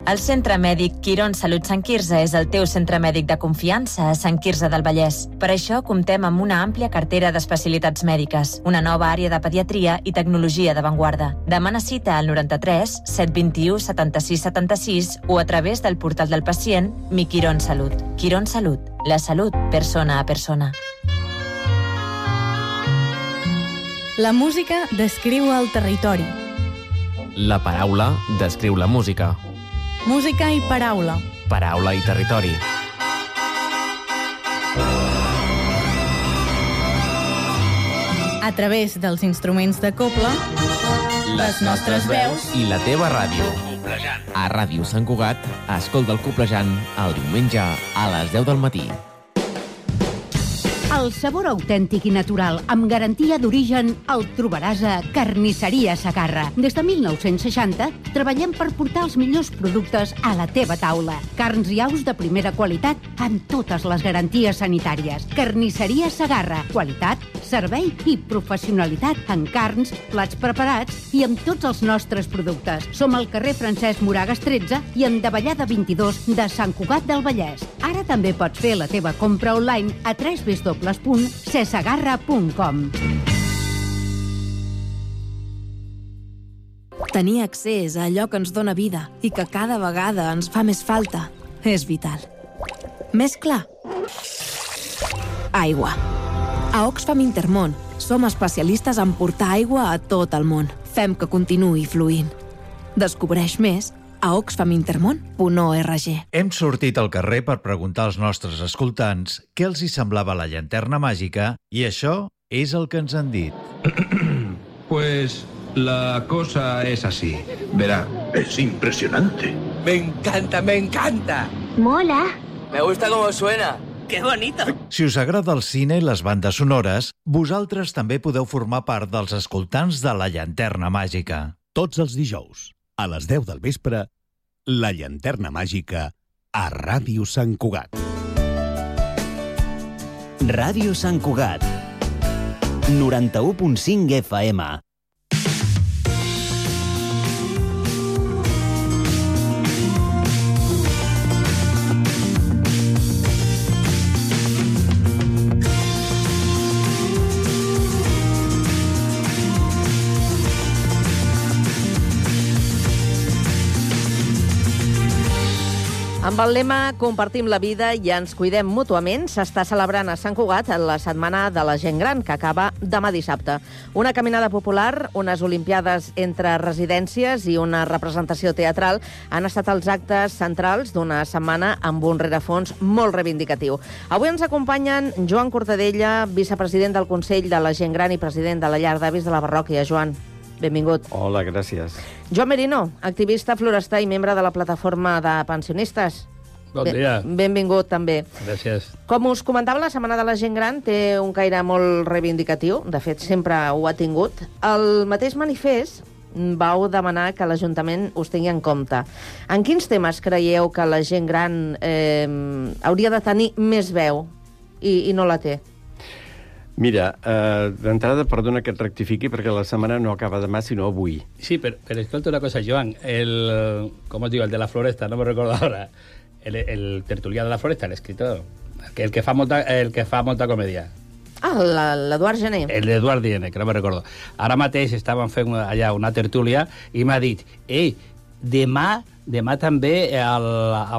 El Centre Mèdic Quirón Salut Sant Quirze és el teu centre mèdic de confiança a Sant Quirze del Vallès. Per això comptem amb una àmplia cartera d'especialitats mèdiques, una nova àrea de pediatria i tecnologia d'avantguarda. Demana cita al 93 721 76 76 o a través del portal del pacient Mi Quirón Salut. Quirón Salut, la salut persona a persona. La música descriu el territori. La paraula descriu la música. Música i paraula. Paraula i territori. A través dels instruments de cobla, les nostres veus i la teva ràdio. A Ràdio Sant Cugat, escolta el Coplejant el diumenge a les 10 del matí. El sabor autèntic i natural, amb garantia d'origen, el trobaràs a Carnisseria Segarra. Des de 1960 treballem per portar els millors productes a la teva taula. Carns i aus de primera qualitat amb totes les garanties sanitàries. Carnisseria Segarra. Qualitat, servei i professionalitat en carns, plats preparats i amb tots els nostres productes. Som al carrer Francesc Moragas 13 i en Davallada 22 de Sant Cugat del Vallès. Ara també pots fer la teva compra online a www.cesegarra.com. Tenir accés a allò que ens dóna vida i que cada vegada ens fa més falta és vital. Més clar. Aigua. A Oxfam Intermón som especialistes en portar aigua a tot el món. Fem que continuï fluint. Descobreix més a oxfamintermon.org. Hem sortit al carrer per preguntar als nostres escoltants què els hi semblava la llanterna màgica i això és el que ens han dit. Pues la cosa es así. Verá, es impresionante. Me encanta, me encanta. Mola. Me gusta cómo suena. ¡Qué bonito! Si us agrada el cine i les bandes sonores, vosaltres també podeu formar part dels escoltants de la llanterna màgica. Tots els dijous, a les 10 del vespre, la llanterna màgica a Ràdio Sant Cugat. Ràdio Sant Cugat. 91.5 FM. Amb el lema Compartim la vida i ens cuidem mútuament, s'està celebrant a Sant Cugat la Setmana de la Gent Gran, que acaba demà dissabte. Una caminada popular, unes olimpiades entre residències i una representació teatral han estat els actes centrals d'una setmana amb un rerefons molt reivindicatiu. Avui ens acompanyen Joan Cortadella, vicepresident del Consell de la Gent Gran i president de la Llar d'Avis de la Parròquia. Joan, benvingut. Hola, gràcies. Joan Merino, activista florestà i membre de la plataforma de pensionistes. Bon dia. Benvingut, també. Gràcies. Com us comentava, la Setmana de la Gent Gran té un caire molt reivindicatiu. De fet, sempre ho ha tingut. El mateix manifest vau demanar que l'Ajuntament us tingui en compte. En quins temes creieu que la gent gran hauria de tenir més veu i no la té? Mira, d'entrada, perdona que et rectifiqui, perquè la setmana no acaba demà, sinó avui. Sí, pero escolta una cosa, Joan. ¿Cómo os digo? El de la floresta, no me recuerdo ahora. El tertulià de la floresta, l'escriptor. El que fa molta comèdia. Ah, l'Eduard Gené. L'Eduard Gené, que no me recordo. Ara mateix estaven fent allà una tertúlia i m'ha dit, demà també a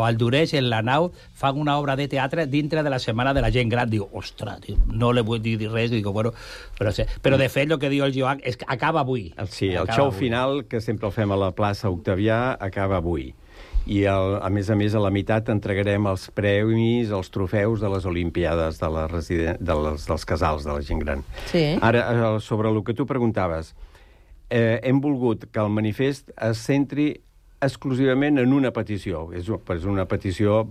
Valldoreix, en la nau, fan una obra de teatre dintre de la Setmana de la Gent Gran. Digo, ostres, no le vull dir res. Digo, bueno, però de fet el que diu el Joan és que acaba avui. Sí, el show final, que sempre el fem a la plaça Octavià, acaba avui. I, a més, a la meitat entregarem els premis, els trofeus de les Olimpiades dels casals de la gent gran. Sí. Ara, sobre el que tu preguntaves, hem volgut que el manifest es centri exclusivament en una petició. És una petició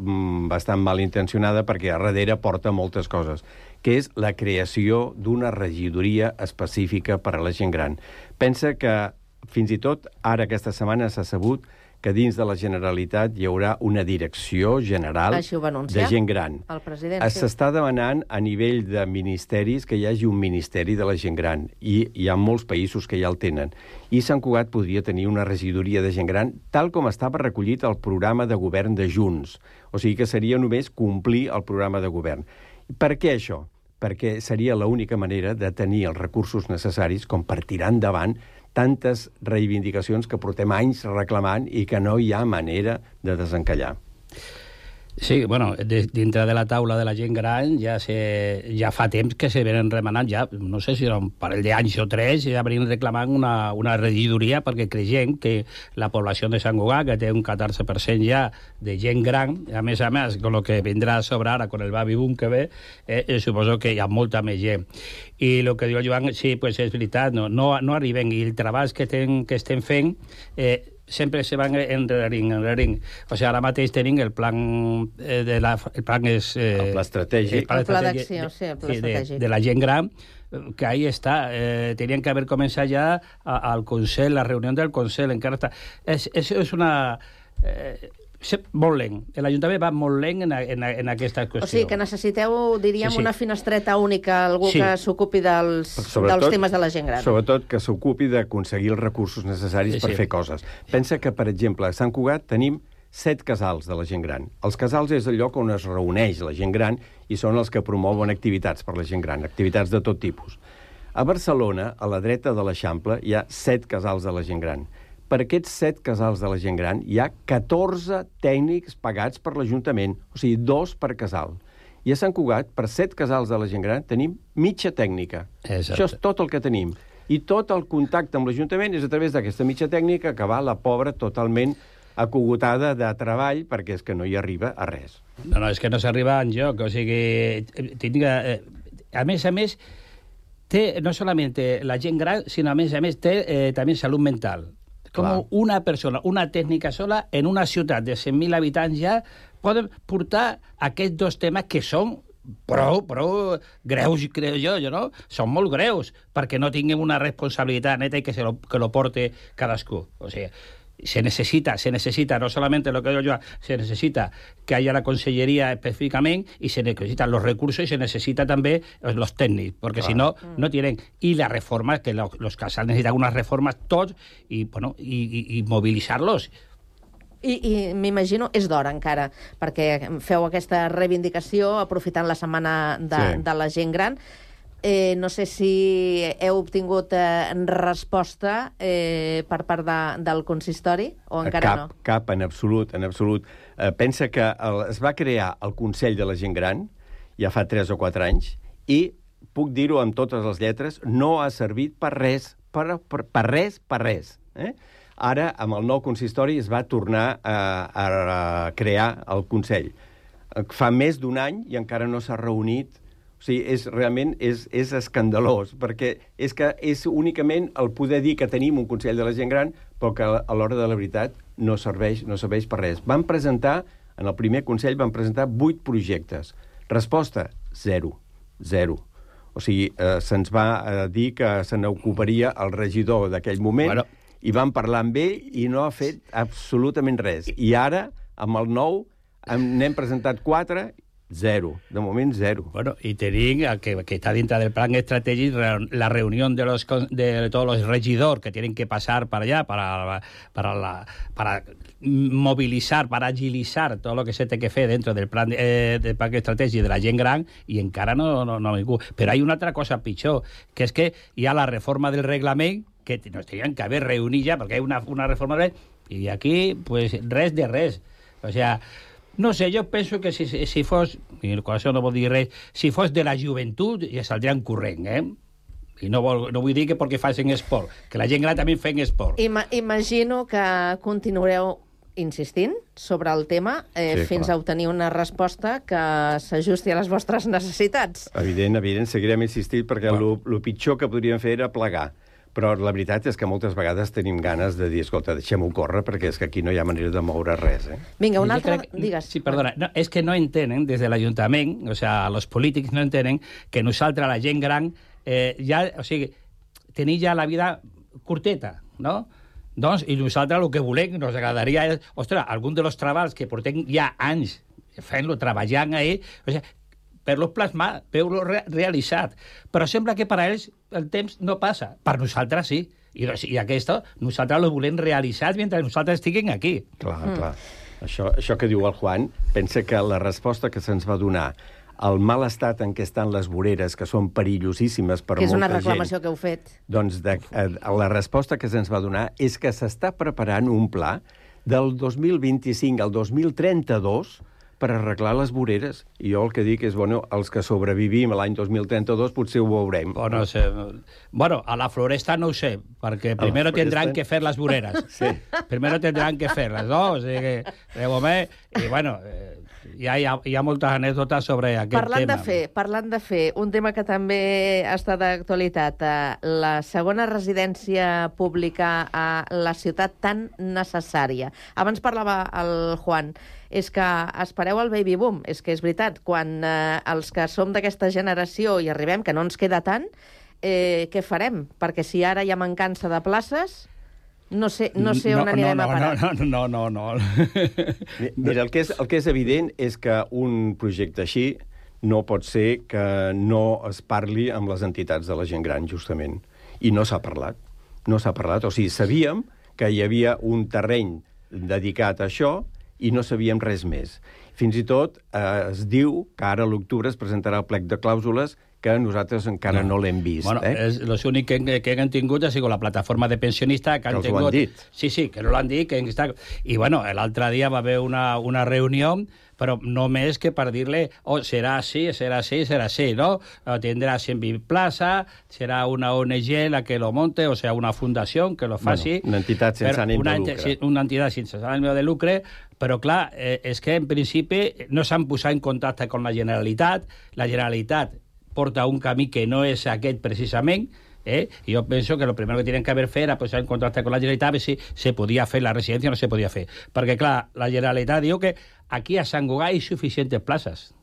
bastant malintencionada perquè a darrere porta moltes coses, que és la creació d'una regidoria específica per a la gent gran. Pensa que, fins i tot, ara aquesta setmana s'ha sabut que dins de la Generalitat hi haurà una direcció general de gent gran. El president, S'està demanant a nivell de ministeris que hi hagi un ministeri de la gent gran, i hi ha molts països que ja el tenen. I Sant Cugat podria tenir una regidoria de gent gran tal com estava recollit al programa de govern de Junts. O sigui que seria només complir el programa de govern. Per què això? Perquè seria l'única manera de tenir els recursos necessaris com per tirar endavant tantes reivindicacions que portem anys reclamant i que no hi ha manera de desencallar. Sí, bueno, dintre de la taula de la gent gran ja fa temps que se venen remenant, ja no sé si era un parell d'anys o 3, ja venien reclamant una regidoria perquè creiem que la població de Sant Cugat, que té un 14% ja de gent gran, a més, amb el que vindrà a sobre ara, con el baby boom que ve, suposo que hi ha molta més gent. I el que diu el Joan, sí, pues és veritat, no arriben, i el treball que estem fent sempre se van enrerint. O sigui, ara mateix tenim el plan el plan estratègic. El pla d'acció, sí, el pla estratègic. De la gent gran, que ahí està. Tenien que haver començat ja al Consell, la reunió del Consell, encara està. És una... molt lent. L'Ajuntament va molt lent en aquesta qüestió. O sigui, que necessiteu, diríem, una finestreta única, algú que s'ocupi dels temes de la gent gran. Sobretot que s'ocupi d'aconseguir els recursos necessaris per fer coses. Pensa que, per exemple, a Sant Cugat tenim 7 casals de la gent gran. Els casals és el lloc on es reuneix la gent gran i són els que promouen activitats per la gent gran, activitats de tot tipus. A Barcelona, a la dreta de l'Eixample, hi ha 7 casals de la gent gran. Per aquests 7 casals de la gent gran hi ha 14 tècnics pagats per l'Ajuntament, o sigui, 2 per casal. I a Sant Cugat, per 7 casals de la gent gran, tenim mitja tècnica. Exacte. Això és tot el que tenim. I tot el contacte amb l'Ajuntament és a través d'aquesta mitja tècnica que va la pobra totalment acogotada de treball perquè és que no hi arriba a res. No, és que no s'arriba enlloc. O sigui, a més, té no solament la gent gran, sinó a més, té també salut mental. Com una persona, una tècnica sola, en una ciutat de 100.000 habitants ja, poden portar aquests 2 temes que són prou greus, crec jo, no? Són molt greus, perquè no tinguem una responsabilitat neta i que lo porte cadascú. O sigui, se necesita, no solamente lo que digo yo, se necesita que haya la consellería específicamente y se necesitan los recursos y se necesita también los técnicos, porque si no, no tienen. Y la reforma, que los casals necesitan unas reformas todos y mobilitzar-los. I m'imagino, és d'hora encara, perquè feu aquesta reivindicació aprofitant la setmana de la gent gran. No sé si heu obtingut resposta per part del consistori o encara no? Cap, en absolut. Pensa que es va crear el Consell de la Gent Gran ja fa 3 o 4 anys i, puc dir-ho amb totes les lletres, no ha servit per res, per res. Ara, amb el nou consistori, es va tornar a crear el Consell. Fa més d'1 any i encara no s'ha reunit. O sigui, realment és escandalós, perquè és únicament el poder dir que tenim un Consell de la Gent Gran, però que a l'hora de la veritat no serveix per res. En el primer Consell van presentar 8 projectes. Resposta, 0. O sigui, se'ns va dir que se n'ocuparia el regidor d'aquell moment, i van parlar amb ell i no ha fet absolutament res. I ara, amb el nou, n'hem presentat 4... 0, de moment 0. Bueno, y tenim que está dentro del plan estratégico la reunión de todos los regidores que tienen que pasar para allá para movilizar, para agilizar todo lo que se té que fer dentro del plan estratègic de la gent gran i encara no ningú. Però hi ha una altra cosa pitjor, que és que hi ha la reforma del reglament que nos tenien que haver reunit ja, perquè hi ha una reforma del reglament, i aquí, pues, res de res. O sea, no sé, jo penso que si fos, i con això no vol dir res, si fos de la joventut ja saldrien corrent, I no vull dir que perquè facin esport, que la gent gran també fem esport. Imagino que continuareu insistint sobre el tema fins a obtenir una resposta que s'ajusti a les vostres necessitats. Evident, seguirem insistint perquè el pitjor que podríem fer era plegar. Però la veritat és que moltes vegades tenim ganes de dir, escolta, deixem-ho córrer perquè és que aquí no hi ha manera de moure res. Vinga, una altra... Digues. Sí, perdona. No, és que no entenen, des de l'Ajuntament, o sea, els polítics no entenen que nosaltres, la gent gran, tenim ja la vida curteta, no? Doncs, i nosaltres el que volem, ens agradaria és, ostres, algun dels treballs que portem ja anys fent-lo, treballant ahí, o sigui, per-lo plasmar, per-lo realitzat. Però sembla que per a ells el temps no passa. Per nosaltres sí. I aquesta nosaltres lo volem realitzat mentre nosaltres estiguem aquí. Clar. Això que diu el Juan, pensa que la resposta que se'ns va donar el mal estat en què estan les voreres, que són perillosíssimes per molta gent... Que és una reclamació que heu fet. Doncs la resposta que se'ns va donar és que s'està preparant un pla del 2025 al 2032 per arreglar les voreres. I jo el que dic és, bueno, els que sobrevivim a l'any 2032 potser ho veurem. No sé. Bueno, a la floresta no ho sé, perquè primero tendrán que fer les voreres. Sí. Primero tendrán que fer-les, no? O sigui que, de moment, i bueno... Hi ha moltes anècdotes sobre aquest tema. Parlant de fer, un tema que també està d'actualitat, la segona residència pública a la ciutat tan necessària. Abans parlava el Juan, és que espereu el baby boom. És que és veritat, quan els que som d'aquesta generació hi arribem, que no ens queda tant, què farem? Perquè si ara hi ha mancança de places... No sé on anirem a parar. No. Mira, el que és evident és que un projecte així no pot ser que no es parli amb les entitats de la gent gran, justament. I no s'ha parlat. No s'ha parlat. O sigui, sabíem que hi havia un terreny dedicat a això i no sabíem res més. Fins i tot es diu que ara a l'octubre es presentarà el plec de clàusules que nosaltres encara no l'hem vist. Bueno, l'únic que han tingut ha sigut la plataforma de pensionistes que han tingut... ho han dit. Sí, que no l'han dit. I, bueno, l'altre dia va haver una reunió, però només que per dir-li, serà així, no? Tindrà 120 places, serà una ONG la que lo monte, o sea, una fundació que lo faci... Una entitat sense ànim de lucre. Una entitat sense ànim de lucre, però, clar, és que, en principi, no s'han posat en contacte amb la Generalitat porta un camí que no és aquest precisament, i jo penso que lo primero que tienen que haver fet era posar en contacte con la Generalitat a ver si se podia fer la residència o no se podia fer. Perquè, clar, la Generalitat diu que aquí a Sant Cugat hi ha suficients places,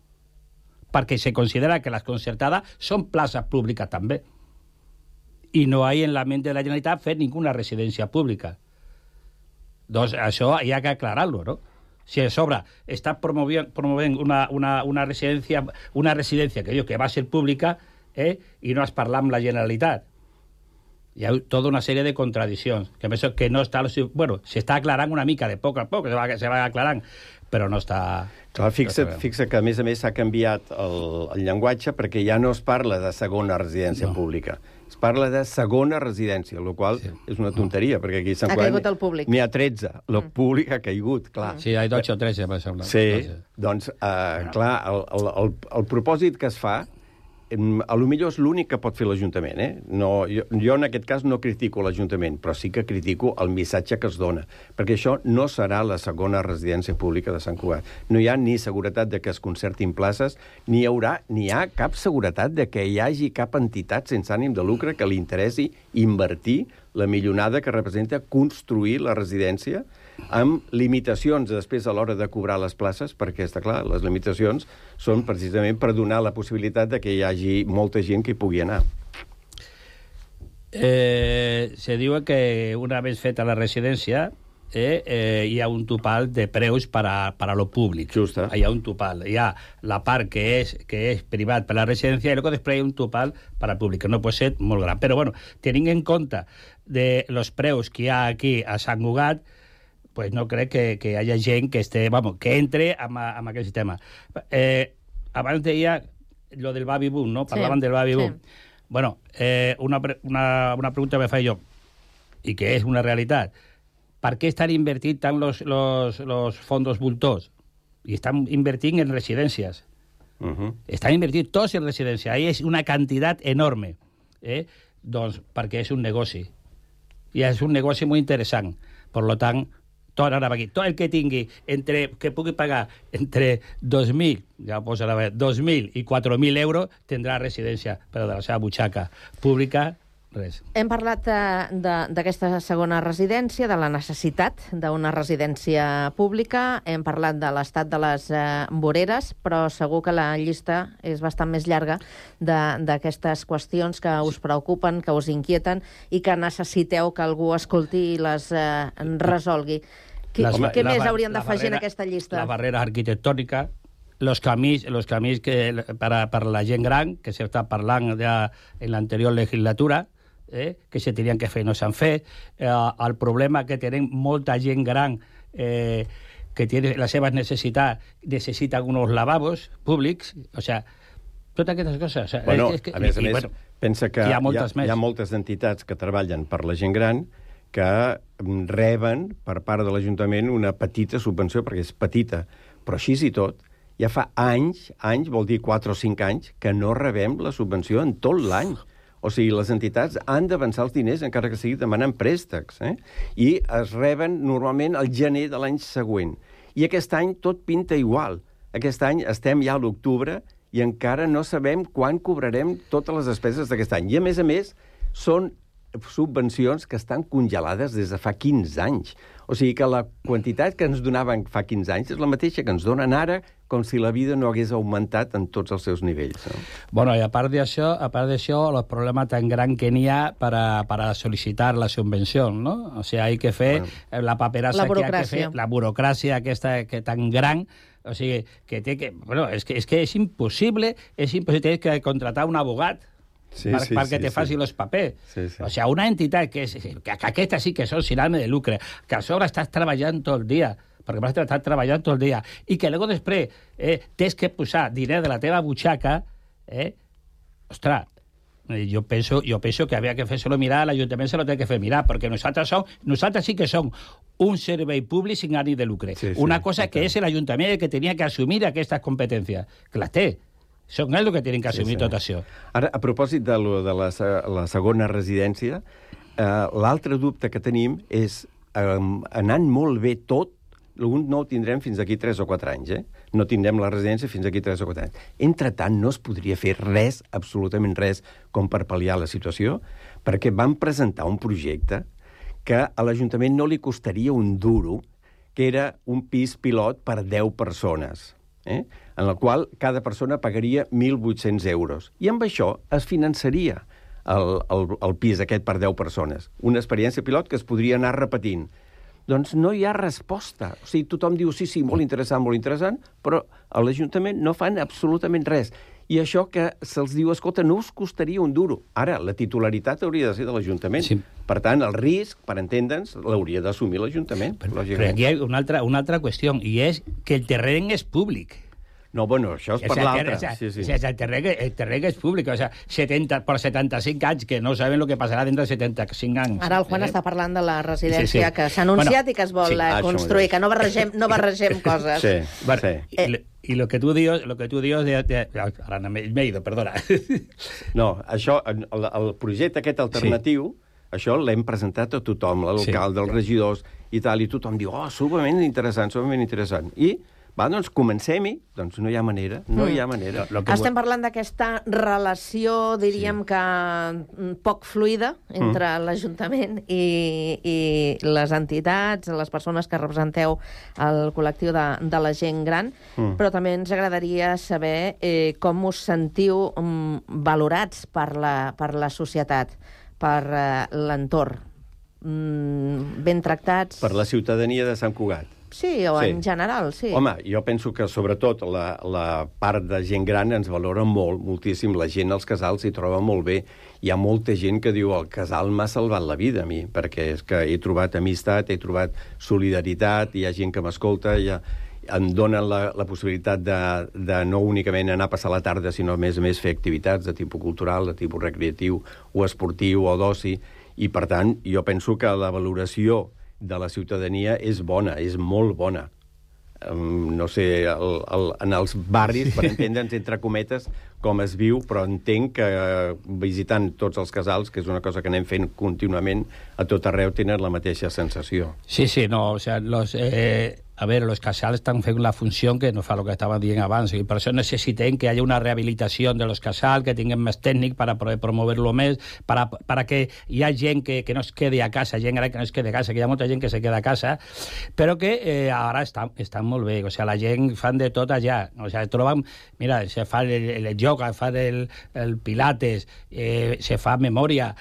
perquè se considera que les concertades són places públiques també. I no hi ha en la ment de la Generalitat fer ninguna residència pública. Doncs això hi ha que aclarar-lo, no? Si a sobre està promovent una residència que diu que va ser pública i no has parlat amb la Generalitat. Hi ha tota una sèrie de contradiccions. Que penso que no està... Bueno, s'està aclarant una mica, de poc a poc, se va aclarant, però no està... Clar, fixa que, a més s'ha canviat el llenguatge perquè ja no es parla de segona residència pública. Es parla de segona residència, el qual és una tonteria, perquè aquí a Sant Cugat n'hi ha 13. La pública ha caigut, clar. Sí, hi ha 12 o 13, per exemple. Sí, doncs, clar, el propòsit que es fa, a lo millor és l'únic que pot fer l'Ajuntament, No, jo en aquest cas no critico l'Ajuntament, però sí que critico el missatge que es dona, perquè això no serà la segona residència pública de Sant Cugat. No hi ha ni seguretat de que es concertin places, ni hi ha cap seguretat de que hi hagi cap entitat sense ànim de lucre que li interessi invertir la milionada que representa construir la residència amb limitacions després a l'hora de cobrar les places, perquè, està clar, les limitacions són precisament per donar la possibilitat de que hi hagi molta gent que hi pugui anar. Se diu que una vegada feta la residència hi ha un topal de preus per a lo públic. Justa. Hi ha un topal. Hi ha la part que és privat per a la residència i després hi ha un topal per al públic, que no pot ser molt gran. Però, bueno, tenint en compte de los preus que hi ha aquí a Sant Cugat, pues no crec que hi hagi gent que entre amb aquest sistema. Abans deia lo del baby boom, no? Parlaven del baby boom. Bueno, una pregunta que me faig jo, i que és una realitat. Per què estan invertint tant los fondos voltors? I estan invertint en residències. Estan invertint tots en residències. Ahí és una quantitat enorme. Doncs perquè és un negoci. I és un negoci molt interessant. Per tant, tot el que tingui, que pugui pagar entre 2.000, ja ho posarà bé, 2.000 i 4.000 euros, tindrà residència, però de la seva butxaca pública, res. Hem parlat d'aquesta segona residència, de la necessitat d'una residència pública, hem parlat de l'estat de les voreres, però segur que la llista és bastant més llarga d'aquestes qüestions que us preocupen, que us inquieten i que necessiteu que algú escolti i les resolgui. Què més haurien d'afegir en aquesta llista? La barrera arquitectònica, los camins que per la gent gran, que s'està parlant en l'anterior legislatura, que se tenien que fer i no s'han fet, el problema que tenen molta gent gran que té les seves necessitats, necessita uns lavabos públics, o sigui, totes aquestes coses. Bueno, a més, pensa que hi ha moltes entitats que treballen per la gent gran que reben per part de l'Ajuntament una petita subvenció, perquè és petita, però així i tot, ja fa anys, vol dir 4 o 5 anys, que no rebem la subvenció en tot l'any. O sigui, les entitats han d'avançar els diners, encara que sigui demanant préstecs, i es reben normalment al gener de l'any següent. I aquest any tot pinta igual. Aquest any estem ja a l'octubre i encara no sabem quan cobrarem totes les despeses d'aquest any. I, a més, són subvencions que estan congelades des de fa 15 anys. O sigui que la quantitat que ens donaven fa 15 anys és la mateixa que ens donen ara, com si la vida no hagués augmentat en tots els seus nivells. No? Bueno, i a part d'això, el problema tan gran que n'hi ha para solicitar la subvenció, ¿no? O sea, hay que fer la paperassa que hay que fer, la burocràcia aquesta que tan gran, o sigui, que té que... Bueno, és que és impossible, tens que contratar un abogat perquè te faci els papers. O sigui, una entitat que aquesta sí que són sin ànim de lucre, que a sobre estàs treballant tot el dia, perquè vas estar treballant tot el dia, i que luego després tens que posar diners de la teva butxaca, ostres, jo penso que havia que fer-se-lo mirar, l'Ajuntament se lo té que fer mirar, perquè nosaltres sí que som un servei públic sin ànim de lucre. Una cosa que és l'Ajuntament que tenia que assumir aquestes competències, que les té. Són ells que tenen que assumir tot això. Ara, a propòsit de la segona residència, l'altre dubte que tenim és, anant molt bé tot, no ho tindrem fins d'aquí 3 o 4 anys, No tindrem la residència fins d'aquí 3 o 4 anys. Entretant, no es podria fer res, absolutament res, com per pal·liar la situació, perquè van presentar un projecte que a l'Ajuntament no li costaria un duro, que era un pis pilot per 10 persones, en el qual cada persona pagaria 1.800 euros. I amb això es finançaria el pis aquest per 10 persones. Una experiència pilot que es podria anar repetint. Doncs no hi ha resposta. O sigui, tothom diu, sí, molt interessant, però a l'Ajuntament no fan absolutament res. I això que se'ls diu, escolta, no us costaria un duro. Ara, la titularitat hauria de ser de l'Ajuntament. Sí. Per tant, el risc, per entendre'ns, l'hauria d'assumir l'Ajuntament. Però aquí hi ha una altra qüestió, i és que el terreny és públic. No, bueno, això és per l'altre. El terreny és públic. O sigui, per 75 anys, que no saben el que passarà dintre de 75 anys. Ara el Juan està parlant de la residència que s'ha anunciat i que es vol construir, que no barregem coses. I lo que tu dius... Ara m'he ido, perdona. No, això, el projecte aquest alternatiu, això l'hem presentat a tothom, l'alcalde, els regidors i tal, i tothom diu, sumament interessant. I doncs comencem-hi, doncs no hi ha manera, Estem parlant d'aquesta relació, diríem que poc fluida entre l'Ajuntament i les entitats, les persones que representeu el col·lectiu de la gent gran, però també ens agradaria saber com us sentiu valorats per la societat, per l'entorn, ben tractats... Per la ciutadania de Sant Cugat. Sí, o en general, sí. Home, jo penso que sobretot la part de gent gran ens valora moltíssim. La gent als casals s'hi troba molt bé. Hi ha molta gent que diu el casal m'ha salvat la vida a mi, perquè és que he trobat amistat, he trobat solidaritat, hi ha gent que m'escolta, em donen la possibilitat de no únicament anar a passar la tarda, sinó a més fer activitats de tipus cultural, de tipus recreatiu o esportiu o d'oci, i per tant jo penso que la valoració de la ciutadania és bona, és molt bona. no sé, en els barris, per entendre'ns, entre cometes, com es viu, però entenc que visitant tots els casals, que és una cosa que anem fent contínuament, a tot arreu tenen la mateixa sensació. Sí, no, o sea, los casals estan fent la funció que no fa el que estava dient abans, i per això necessitem que hi hagi una rehabilitació de los casals, que tinguem més tècnic per poder promover-lo més, para que hi ha gent que no es quedi a casa, gent gran que no es quedi a casa, que hi ha molta gent que se queda a casa, però que ara estan molt bé, o sea, la gent fan de tot allà, o sea, troben, mira, se fa el yoga, fa el pilates, se fa memòria,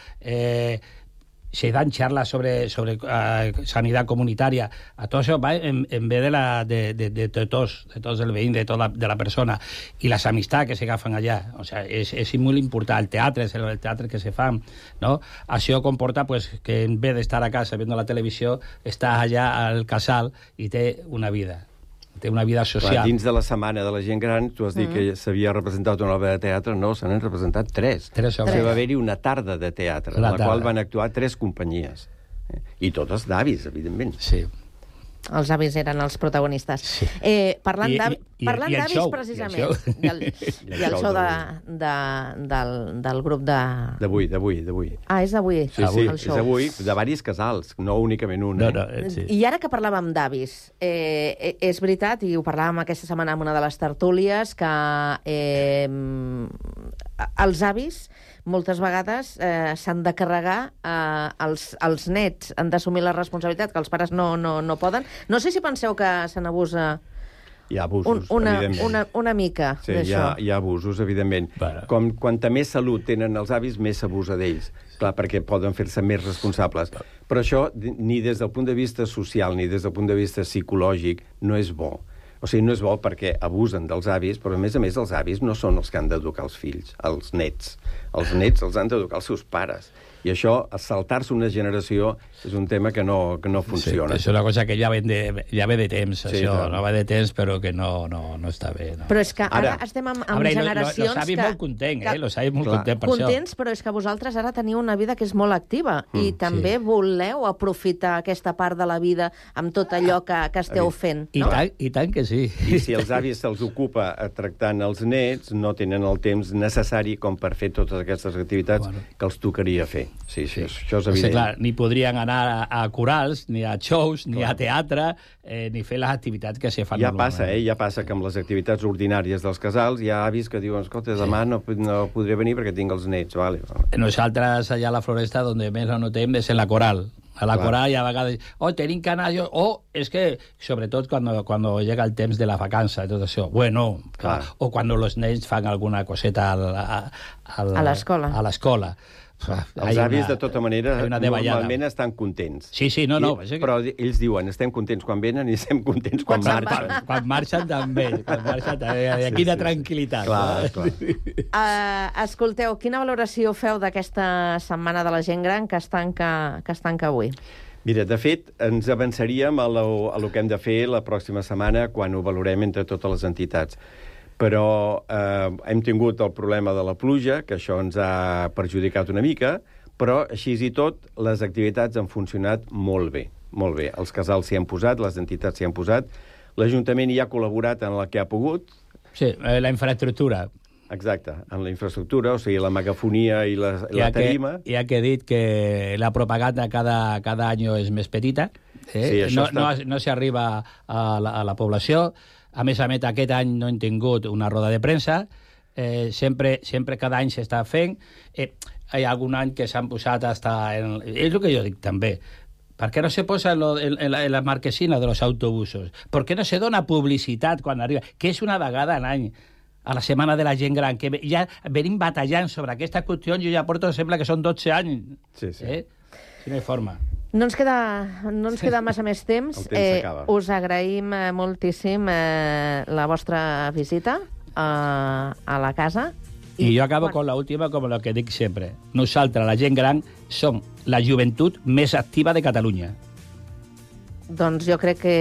se dan charlas sobre sanidad comunitaria. A todo eso va en vez de todos el veïn, de la persona. I les amistats que s'agafen allà. O sea, és molt important. El teatre que se fa, no? Això comporta pues, que en vez d'estar a casa viendo la televisió, estàs allà al casal i té una vida. Té una vida social. Clar, dins de la setmana de la gent gran, tu has dit que s'havia representat una obra de teatre, no, se n'han representat 3. Va haver-hi una tarda de teatre, en la qual van actuar 3 companyies. I totes d'avis, evidentment. Sí. Els avis eren els protagonistes. Sí. Parlant d'avis, precisament, i el show del grup de... D'avui. Ah, és d'avui, sí, el show. És d'avui, de diversos casals, no únicament un. Sí. I ara que parlàvem d'avis, és veritat, i ho parlàvem aquesta setmana en una de les tertúlies, que els avis moltes vegades s'han de carregar els nets, han d'assumir la responsabilitat, que els pares no poden. No sé si penseu que se n'abusa... Hi ha abusos, evidentment. Una mica d'això. Hi ha abusos, evidentment. Quanta més salut tenen els avis, més s'abusa d'ells. Clar, perquè poden fer-se més responsables. Però això, ni des del punt de vista social, ni des del punt de vista psicològic, no és bo. O sigui, no és bo perquè abusen dels avis, però a més els avis no són els que han d'educar els fills, els nets. Els nets els han d'educar els seus pares. I això, saltar-se una generació, és un tema que no funciona. Sí, és una cosa que ja ve de temps, sí, això. No va de temps, però que no està bé. No. Però és que ara estem amb generacions los avis molt contents, los avis molt contents per això. Contents, però és que vosaltres ara teniu una vida que és molt activa i també voleu aprofitar aquesta part de la vida amb tot allò que esteu fent. No? I tant que sí. I si els avis se'ls ocupa tractant els nets, no tenen el temps necessari com per fer totes aquestes activitats que els tocaria fer. Sí, això és evident. Clar, ni podrien anar a corals, ni a shows, ni a teatre, ni fer les activitats que se fan normalment. Ja passa que amb les activitats ordinàries dels casals hi ha avis que diuen, escolta, demà no podré venir perquè tinc els nets. Vale. Nosaltres, allà a la Floresta, on més la notem és en la coral. A la coral i a vegades, tenim que anar... és que, sobretot, cuando llega el temps de la vacança i tot això, bueno, o quan els nens fan alguna coseta a l'escola. A l'escola. Els avis, de tota manera, normalment estan contents. Sí, no. Però ells diuen, estem contents quan venen i estem contents quan marxen. Quan marxen també. Quina tranquil·litat. Clar. Escolteu, quina valoració feu d'aquesta setmana de la gent gran que es tanca avui? Mira, de fet, ens avançaríem a lo que hem de fer la pròxima setmana quan ho valorem entre totes les entitats. Però hem tingut el problema de la pluja, que això ens ha perjudicat una mica, però així i tot les activitats han funcionat molt bé. Molt bé. Els casals s'hi han posat, les entitats s'hi han posat, l'Ajuntament hi ha col·laborat en la que ha pogut. Sí, la infraestructura. Exacte, en la infraestructura, o sigui, la megafonia i la tarima. Ja que he dit que la propaganda cada any és més petita, sí, no s'arriba a la població. A més, aquest any no hem tingut una roda de premsa. Sempre cada any s'està fent. Hi ha algun any que s'han posat hasta... És el que jo dic també. Per què no se posa en la marquesina de los autobusos? Per què no se dona publicitat quan arriba? Que és una vegada a l'any, a la setmana de la gent gran, que ja venim batallant sobre aquesta qüestió. Jo ja porto, sembla que són 12 anys. Sí. Si no hi forma. No ens queda massa més temps. Us agraïm moltíssim la vostra visita a la casa. I jo acabo con la última, com el que dic sempre. Nosaltres, la gent gran, som la joventut més activa de Catalunya. Doncs jo crec que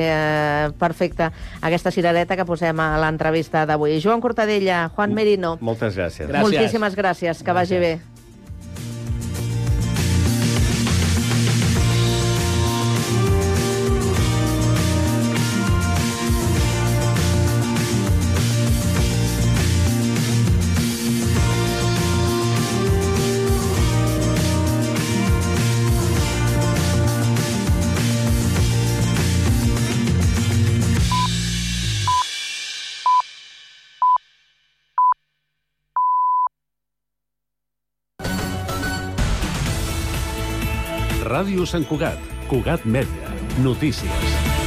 perfecte aquesta cirereta que posem a l'entrevista d'avui. Joan Cortadella, Juan Merino. Moltes gràcies. Moltíssimes gràcies. Que vagi bé. Ràdio Sant Cugat. Cugat Mèdia. Notícies.